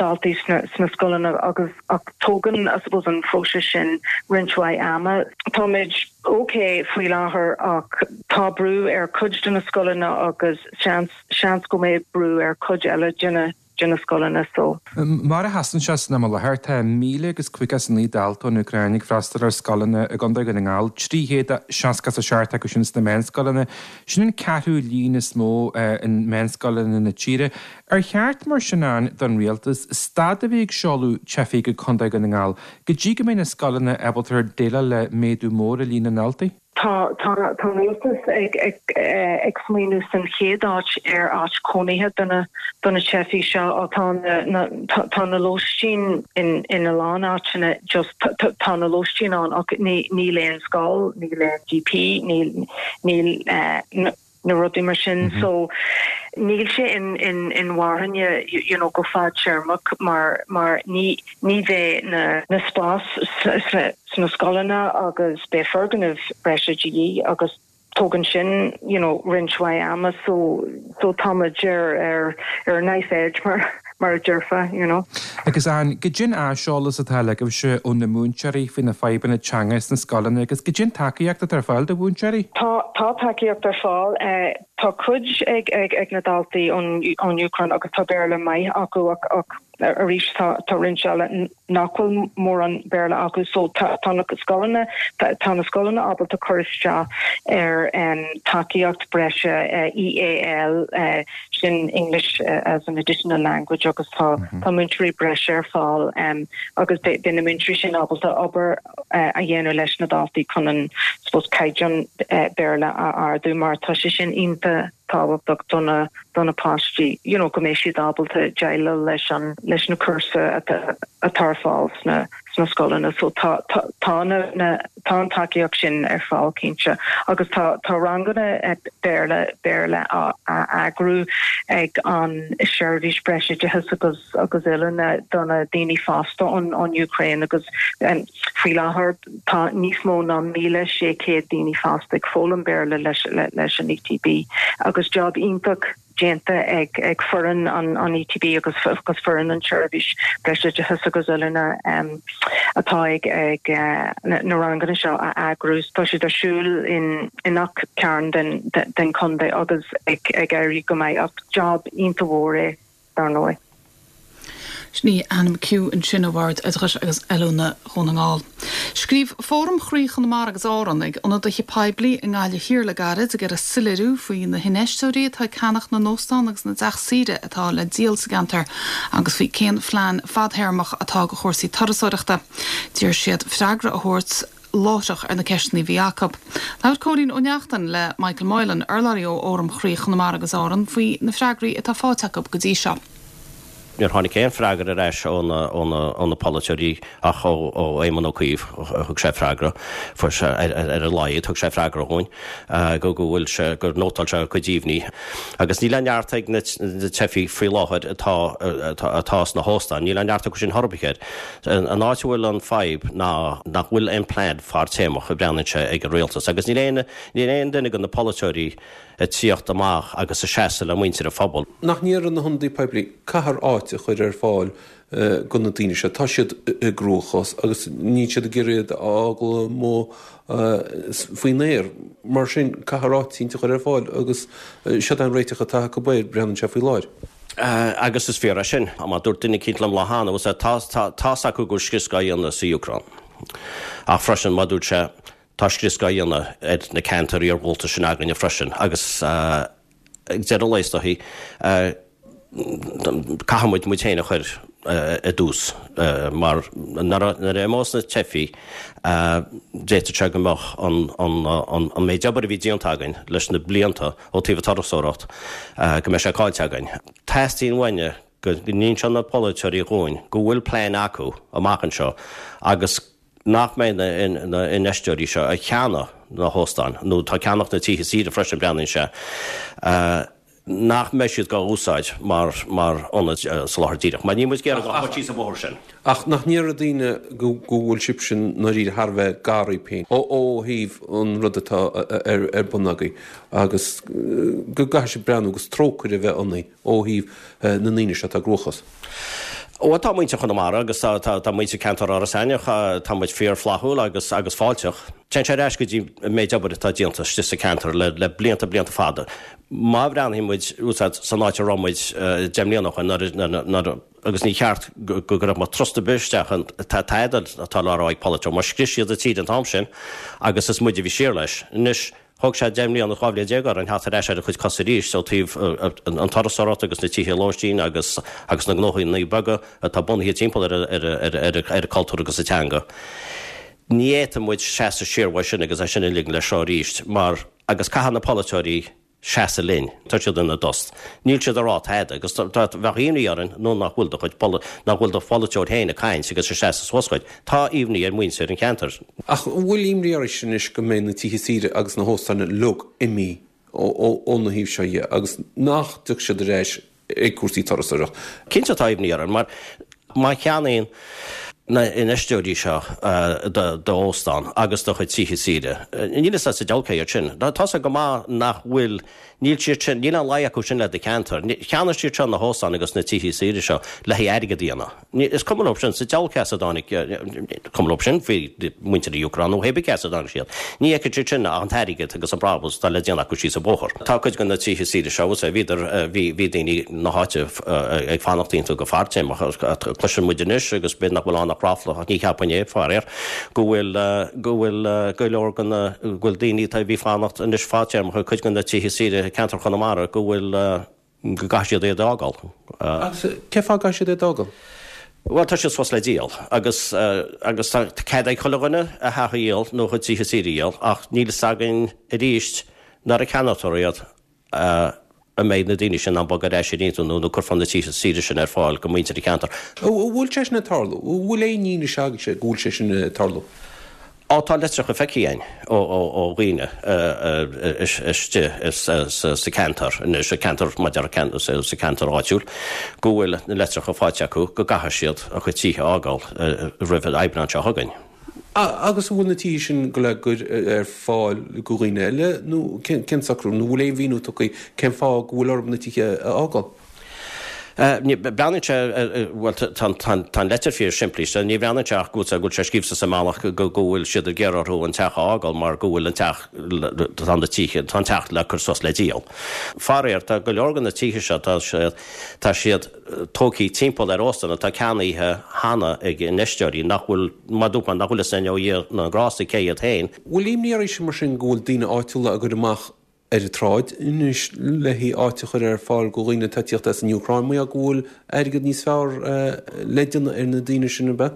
daltaí sna sna scoileanna agus ach tógann I suppose an próiseas sin roinnt mhaith ama. Táimid ok faoi láthair ach tá brú ar cuid de na scoileanna agus seans seans go mbeidh brú ar cuid eile de na de na scoileanna so. Mar a sheasann sé san am i láthair, tá míle agus caoga is a naoi dalta ón Úcráin ag freastal ar scoileanna i gContae Dhún na nGall, trí chéad seasca is a seacht acu sin sna meánscoileanna. Sin an ceathrú líon is mó i meánscoileanna na tíre. Ar cheart mar sin ann don rialtas stad a bheith ag seoladh teifigh go Contae Dhún na nGall go dtí go mbeidh na scoileanna ábalta déileáil le méadú mór i líon na ndaltaí? Tá tá tá an rialtas ag ag ag smaoineamh san chéad áit ar áit cónaithe do na do na teifigh seo. Tá na na tá na lóistín in in a lán áiteanna just tá na lóistín ann ach ní níl aon scoil, níl aon GP, níl níl eh, na rudaí mar sin so níl sé in in inmharthana you know go fadtéarmach mar mar ní ní bheidh na na spás sna scoileanna agus beidh foirgneamh breise de dhíth agus tógann sin you know roinnt mhaith ama so so táimid ar ar ar knife edge mar mar a déarfá you know. Agus an goidé an t-aiseolas atá agaibhse ó na múinteoirí faoi na fadhbanna teanga sna scoileanna agus goidé an tacaíocht atá ar fáil do mhúinteoirí? Tá tá tacaíocht ar fáil. Tá cuid ag ag ag na daltaí ón ón Úcráin agus tá Béarla maith acu ach ach arís tá tá roinnt eile nach bhfuil mórán Béarla acu so tá tá na scoileanna tá na scoileanna ábalta cur isteach ar um, tacaíocht breise uh, EAL uh, sin English uh, as an additional language agus tá mm -hmm. tá múinteoirí breise ar fáil um, agus beidh na múinteoirí sin ábalta obair uh, a dhéanamh leis na daltaí chun an suppose caighdeán uh, Béarla a ardú mar tá sé sin iontach tábhachtach do na do na páistí you know, go mbeidh siad ábalta déileáil leis an leis na cúrsa atá atá ar fáil sna sna scoileanna so tá tá tá na na tá an tacaíocht sin ar fáil cinnte agus tá tá ranganna Béarla Béarla a a eagrú ag an seirbhís breisoideachais agus agus oiliúna do na daoine fásta ón ón Ukraine agus um, faoi láthair tá níos mó ná míle sé chéad daoine fásta ag foghlaim Béarla leis le, leis an ETB agus job iontach déanta ag ag foireann an an ETB agus agus foireann an seirbhís breisoideachais agus oiliúna um, atá ag ag uh, na, na ranganna seo a eagrú tá siad ar siúl in in gach cearn den den, den contae agus ag ag éirí go maith ach job iontach mhór é dar ndóigh. Sin í Anne McHugh ansin ó Bhord Oideachais agus Oiliúna Dhún na nGall. Scríobh Fóram Chroí Chonamara agus Árann ag ionadaithe poiblí i nGaillimh Thiar le gairid ag iarraidh soiléiriú faoi na hinfheisteoirí atá ag ceannach na n-óstán agus na dteach saoire atá le díol sa gceantar agus faoi cén phlean fadtéarmach atá do chúrsaí turasóireachta. D'iarr siad freagra a thabhairt láithreach ar na ceisteanna a bhí acu. Labhair Cóilín Ó Neachtain le Michael Moylan urlabhraí ó Fhóram Chroí Chonamara agus Árann faoi na freagraí atá faighte acu go dtí seo. Níor tháinig aon freagra ar ais ó na polaiteoirí ach ó Éamon Ó Cuív thug sé freagra fuair sé ar a laghad thug sé freagra dhúinn go go bhfuil sé gur nótáil sé a cuid imní. Agus níl aon neart ag na teifigh faoi láthair atá atá sna hóstáin, níl aon neart acu sin chor ar bith. An áit a bhfuil an fadhb ná nach bhfuil aon plean fadtéarmach a bhreathnaíonn sé ag an rialtas agus níl aon níl aon duine de na polaiteoirí ag tíocht amach agus ag seasamh le muintir an phobail. Nach ndéarfaidh na hionadaithe poiblí, caithfear áit a chur ar fáil do na daoine seo. Tá siad i gcruachás agus níl siad ag iarraidh iad a fhágáil amuigh faoin aer. Mar sin, caithfear áit a chur ar fáil agus seod é an réiteach atá acu air, breathnaíonn sé faoi láthair. Agus is fíor é sin. Mar dúirt duine eicínt liom lá cheana, bhfuil tá tá's acu go bhfuil scrios á dhéanamh sa Úcráin. Ach freisin, mar dúirt sé, tá scrios á dhéanamh ar na ceantair iargúlta sin againne freisin agus ag deireadh lae is dóichí, caithfidh muid muid féin a chur i dtús mar nuair a imeos na teifigh d'fhéadfadh sé go mbeadh an méid obair a bhí déanta againn leis na blianta ó taobh an turasóireacht go mbeidh sé caillte againn. Teastaíonn uainne go n-inseodh na polaiteoirí dhúinn go bhfuil plean acu amach anseo agus nach mbeidh na infheisteoirí seo ag ceannach na hóstáin nó tá ag ceannach na tithe saoire freisin breathnaíonn sé nach mbeidh siad dhá úsáid mar mar ionad soláthair díreach, mar níl muid ag iarraidh dul síos an bóthar sin. Ach nach ndéarfadh daoine go go bhfuil sibhse i ndáiríre thar a bheith gar daoibh féin ó thaobh an rud atá ar ar bun agaibh agus go gcaithfidh sibh breathnú agus trócaire a bheith ionaibh ó thaobh na ndaoine seo atá i gcruachás? Bhuel, tá muintir Chonamara agus tá tá tá muintir ceantar Iorras Aithneach, tá muid fíor-fhlaithiúil agus agus fáilteach. Téann sé ar ais go dtí an méid obair atá déanta istigh sa ceantar le le blianta blianta fada. Má bhreathnaíonn muid úsáid san áit a raibh muid deich mbliana ó shin nuair nuair nuair agus ní cheart go go gcuirfeadh muid trust ar bith isteach in tada atá le rá ag polaiteoir mar scrios siad an tír an t-am sin agus is muid a bhí siar leis. Anois Thóg sé deich mbliana, dhá bhliain déag orainn theacht ar ais ar ár gcuid cos arís ó taobh an turasóireacht agus na tithe lóistín agus agus na gnóthaí beaga atá bunaithe timpeall ar ar ar an cultúr agus an teanga. Ní fhéadfaidh muid seasamh siar uaidh sin agus é sin a ligean leis seo arís mar agus caithfidh na polaiteoirí seasamh linn. Tá siad ina dtost. Níl siad ag rá tada agus bheadh imní orainn nó nach bhfuil do chuid nach bhfuil do pholaiteoir féin ag caint agus ag seasamh suas dhuit. Tá imní ar mhuintir an cheantair. Ach an bhfuil imní oraibhse anois go mbeidh na tithe saoire agus na hóstáin uilig imithe óna thaobh seo dhe agus nach dtiocfaidh siad ar ais ag cúrsaí turasóireacht? Cinnte tá imní orainn mar má cheannaíonn na infheisteoirí seo d'óstán agus do chuid tithe saoire, níl fhios agat sa diabhal cé hiad sin. Tá sé go maith nach bhfuil, níl siad sin, níl aon luí acu sin le do cheantar. Cheannaigh siad seo na hóstáin agus na tithe saoire seo le haghaidh airgead a dhéanamh. Is cuma leo sin sa diabhal cé as a dtáinig, cuma leo sin faoi mhuintir na hÚcráine nó pé bith cé as a dtáinig siad. Ní fheiceann siad sin ach an t-airgead agus an brabús atá le déanamh acu síos an bóthar. Tá cuid de na tithe saoire seo, bhfuil bhíodar, bhí, bhí daoine na háite ag fanacht iontu go fadtéarmach. Cloiseann muid anois, agus b'fhéidir nach bhfuil ann ach ráfla, ach ní cheapfainn é, faraor, go bhfuil, go bhfuil go leor de na, go bhfuil daoine atá, a bhí fanacht anois fadtéarmach i gcuid de na tithe saoire i gceantar Chonamara, go bhfuil, go gcaithfidh siad iad a fhágáil. Agus cén fáth a gcaithfidh siad iad a fhágáil? Bhuel, tá siad suas le díol agus agus tá cead ag chuile dhuine a theach a dhíol nó a chuid tithe saoire a dhíol ach níl fhios againn arís nuair a ceannófar iad an mbeidh na daoine sin in ann bogadh ar ais iontu nó nó cuirfear na tithe saoire sin ar fáil go muintir an cheantair. An bhfuil sé sin ag tarlú? An bhfuil aon fhianaise agaibhse go bhfuil sé sin ag tarlú? Á, tá litreacha feicthe againn ó dhaoine istigh sa cheantar anois, sa cheantar, maidir le sa cheantar áitiúil, go bhfuil na litreacha faighte acu go gcaithfidh siad a gcuid tithe a fhágáil roimh an Aibreán seo chugainn. Agus an bhfuil na tithe sin go le cur ar fáil go dhaoine eile nó cén socrú, nó an bhfuil aon mhíniú tugtha cén fáth go bhfuil orthu na tithe a fhágáil? Breathnaíonn sé, bhuel, tá an leitir fíor simplí, so ní bhreathnaíonn sé ach go bhfuil sé scríofa sa mbealach go bhfuil siad ag iarraidh orthu an teach a fhágáil mar go bhfuil an teach, tá na tithe, tá an teach le cur suas le díol. Faraor, tá go leor de na tithe seo, tá siad, tá siad tógtha timpeall ar óstáin atá ceannaithe cheana ag infheisteoirí nach bhfuil, mar dúirt mé, nach bhfuil fhios ag Dia ná a ngrásta cé hiad féin. Bhfuil imní oraibhse mar sin go bhfuil daoine áitiúla á gcur amach ar an tsráid anois le haghaidh áit a chur ar fáil go dhaoine atá ag tíocht as an Úcráin, mar gheall go bhfuil airgead níos fearr le déanamh ar na daoine sin, ab ea?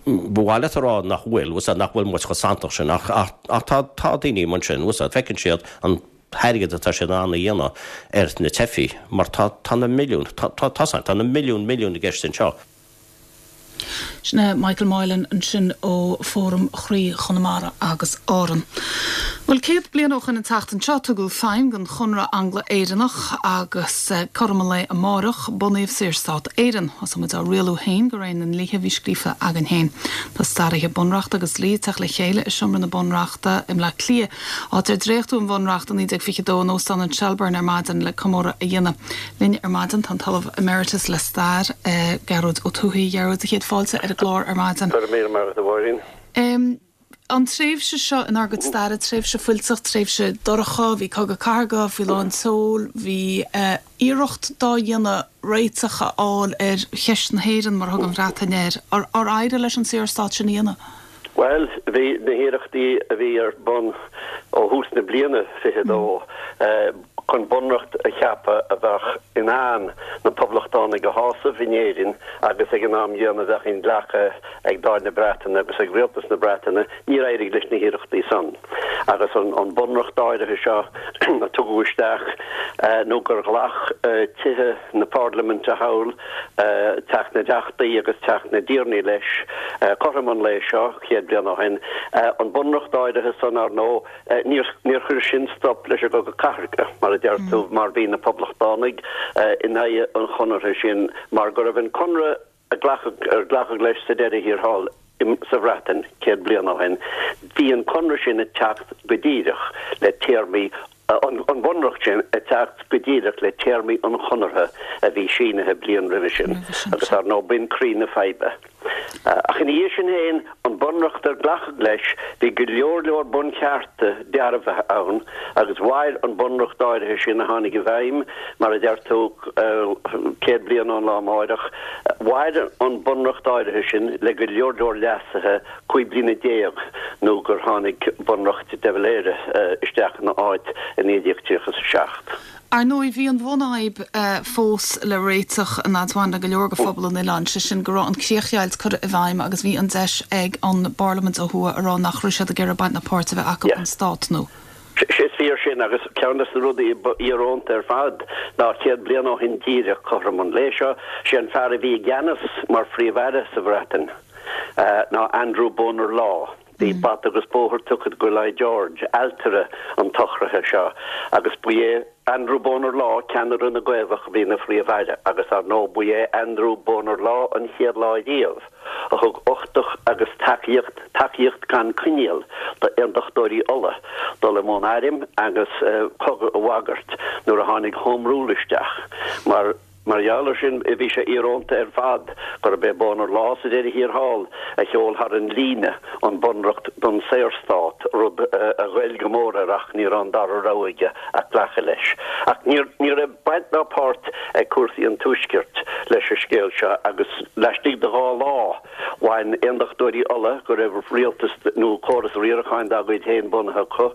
Ba mhaith leat a rá nach bhfuil, bhfuil nach bhfuil muid chomh santach sin, ach ach tá tá daoine mar sin, bhfuil feiceann siad an t-airgead atá siad in ann a dhéanamh ar na teifigh, mar tá tá na milliúin, tá tá tá na milliúin milliúin i gceist anseo. Sin é Michael Moylan ansin ó Fóram Chroí Chonamara agus Árann. Bhuel, céad bliain ó shin an tseachtain seo tugadh feidhm don Chonradh Angla-Éireannach agus cothrom an lae amárach bunaíodh Saorstát Éireann. Thosaigh muid á rialú féin de réir na ndlíthe a bhí scríofa againn féin. Tá staraithe bunreachta agus dlí ag teacht le chéile i Seomra na Bunreachta i mBleá Cliath, áit ar dréachtadh an Bhunreacht i naoi déag fiche a dó in Óstán an Shelbourne ar maidin le comóradh a dhéanamh. Linn ar maidin tá an tOllamh Emeritus le Stair, Gearóid Ó Tuathaigh. A Ghearóid, céad fáilte ar an gclár ar maidin. Go raibh míle maith agat, a Mháirín. An tréimhse seo inár gcuid staire, tréimhse fuilteach, tréimhse dorcha, bhí cogadh cathartha faoi lán tseoil, bhí iarracht dá dhéanamh réiteach a fháil ar cheist na hÉireann, mar a thug an Bhreatain air. Ar éirigh leis an Saorstát sin a dhéanamh? Bhuel, bhí na hiarrachtaí a bhí ar bun ó thús na bliana fiche dó chun bunreacht a cheapadh a bheadh in ann na Poblachtánaigh a shásamh in Éirinn agus ag an am gcéanna a bheadh inghlactha ag Dáil na Breataine agus ag Rialtas na Breataine, níor éirigh leis na hiarrachtaí san. Agus an bunreacht áirithe seo a tugadh isteach nó gur ghlac tithe na Parlaiminte thall, Teach na dTeachtaí agus Teach na dTiarnaí leis, cothrom an lae seo, céad bliain ó shin, an bunreacht áirithe san, ar ndóigh, Níor chuir sin stop leis an gCogadh Cathartha, mar a deir tú, mar bhí na Poblachtánaigh in aghaidh an chonartha sin mar go raibh an conradh a glacadh, ar glacadh leis sa deireadh thiar thall sa Bhreatain céad bliain ó shin, bhí an conradh sin ag teacht go díreach le téarmaí, an bunreacht sin ag teacht go díreach le téarmaí an chonartha a bhí sínithe bliain roimhe sin agus, ar ndóigh, b'in croí na faidhbe. Ach ina dhiaidh sin féin, an Bunreacht ar glacadh leis, bhí go leor leor bunchearta dearbhaithe ann agus mhair an Bunreacht áirithe sin a tháinig i bhfeidhm, mar a deir tú, céad bliain ón lá amáireach, mhair an Bunreacht áirithe sin le go leor leor leasuithe cúig bliana déag nó gur tháinig Bunreacht de Valera isteach ina áit i naoi déag tríocha is a seacht. Ar ndóigh, bhí an bhunfhadhb fós le réiteach an fhad a bhain le go leor de phobal an oileáin, sé sin go raibh an chríochdheighilt curtha i bhfeidhm agus bhí an deis ag an bParlaimint ó thuaidh a rá nach raibh siad ag iarraidh baint ná páirt a bheith acu an stát nua. Is fíor sin agus ceann de na rudaí ba íorónta ar fad ná céad bliain ó shin díreach cothrom an lae seo, sé an fear a bhí i gceannas mar Phríomh-Aire sa Bhreatain ná Andrew Bonar Law. Bhí bata agus bóthar tugtha do Lloyd George, ailtire an tsocraithe seo, agus ba é Andrew Bonar Law, ceannaire na gCaomhach, a bhí ina Phríomh-Aire, agus ar ndóigh ba é Andrew Bonar Law an chéad lá riamh a thug uchtach agus tacaíocht, tacaíocht gan coinníoll, d'Aontachtóirí Uladh dul i mbun airm agus cogadh a bhagairt nuair a tháinig Home Rule isteach, mar. Mar gheall air sin, bhí sé íorónta ar fad gurb é Bonar Law sa deireadh thiar thall a sheol thar an líne an Bunreacht don Saorstát, rud a ghoill go mór air ach ní raibh an dara rogha aige ach glacadh leis. Ach ní raibh baint ná páirt ag cúrsaí an Tuaiscirt leis an scéal seo agus laistigh de dhá lá bhain Aondachtóirí Uladh, go raibh rialtas nó córas riaracháin dá gcuid féin bunaithe acu,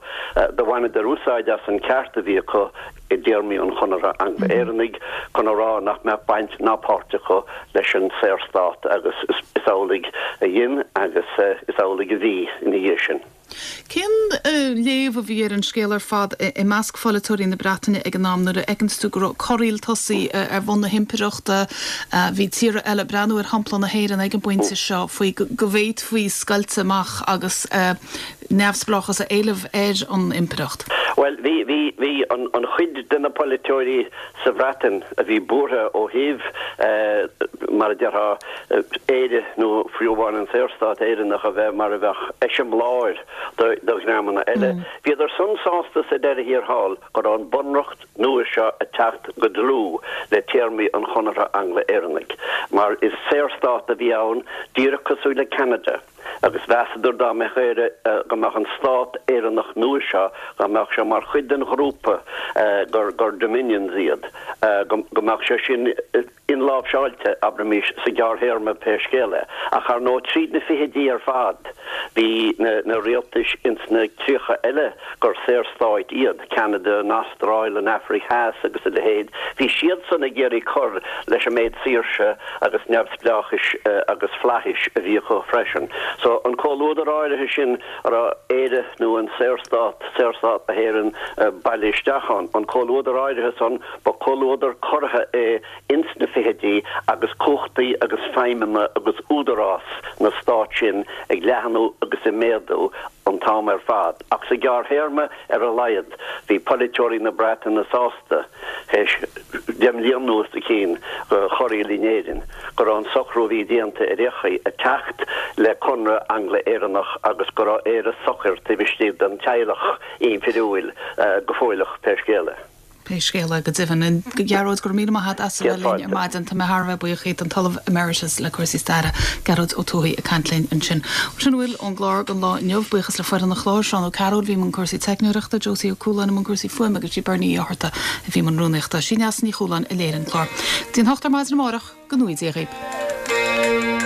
do bhaineadar úsáid as an ceart a bhí acu i dtéarmaí an Chonartha Angla-Éireannaigh chun a rá nach mbeadh baint ná páirt acu leis an Saorstát agus is amhlaidh a dhein agus is amhlaidh a bhí ina dhiaidh sin. Cén léamh a bhí ar an scéal ar fad i measc pholaiteoirí na Breataine ag an am nuair a fheiceanns tú go raibh corraíl tosaithe ar bhun na himpireachta, bhí tíortha eile ag breathnú ar shampla na hÉireann ag an bpointe seo faoi go bhféadfaí scoilt amach agus neamhspleáchas a éileamh ar an impireacht? Bhuel, bhí, bhí, bhí an, an chuid de na polaiteoirí sa Bhreatain a bhí buartha ó thaobh, mar a déarfá, Éire nó fiú amháin an Saorstát Éireannach a bheith mar a bheadh eiseamláir do, do dhreamanna eile. Bhíodar san sásta sa deireadh thiar thall go raibh an Bunreacht nua seo ag teacht go dlúth le téarmaí an Chonartha Angla-Éireannaigh, mar is saorstát a bhí ann, díreach cosúil le Ceanada. Agus mheasadar dá mbeadh Éire, go mbeadh an stát Éireannach nua seo, dá mbeadh sé mar chuid den ghrúpa gur gur Dominions iad, go go mbeadh sé sin inláimhseáilte, abraimis, sa ghearrthéarma pé scéal é. Ach ar ndóigh tríd na fichidí ar fad bhí na na rialtais ins na críocha eile gur saorstáit iad, Ceanada, an Astráil, an Afraic Theas agus a leithéid, bhí siadsan ag iarraidh cur leis an méid saoirse agus neamhspleáchais agus flaithis a bhí acu freisin. So, an comhluadar áirithe sin a raibh Éire nó an Saorstát, Saorstát na hÉireann, bailithe isteach ann, an comhluadar áirithe san, ba chomhluadar corraithe é ins na fichidí agus cumhachtaí agus feidhmeanna agus údarás na stát sin ag leathnú agus ag méadú an t-am ar fad. Ach sa ghearrthéarma ar a laghad, bhí polaiteoirí na Breataine sásta, théis deich mbliana nó os a chionn de chorraíl in Éirinn, go raibh an socrú a bhí déanta ar aon chaoi ag teacht le Conradh Angla-Éireannach agus go raibh Éire socair taobh istigh den teaghlach impiriúil go fóilleach pé scéal é. Pé scéal é, go deimhin. A Ghearóid, go raibh míle maith agat as a bheith linn ar maidin. Tá mé thar a bheith buíoch díot, an tOllamh Emeritus le cúrsaí staire, Gearóid Ó Tuathaigh ag caint linn ansin. Sin a bhfuil ón gclár don lá inniu. Buíochas le foireann an chláir, Seán Ó Cearúil a bhí i mbun cúrsaí teicneoireachta, Josie Ó Cualáin i mbun cúrsaí fuaime agus sí Bernie Uí Fhátharta a bhí i mbun rúnaíochta. Sí Neasa Ní Chualáin a léirigh an clár. Go dtí an hocht ar maidin amárach, go ngnóthaí Dia dhaoib.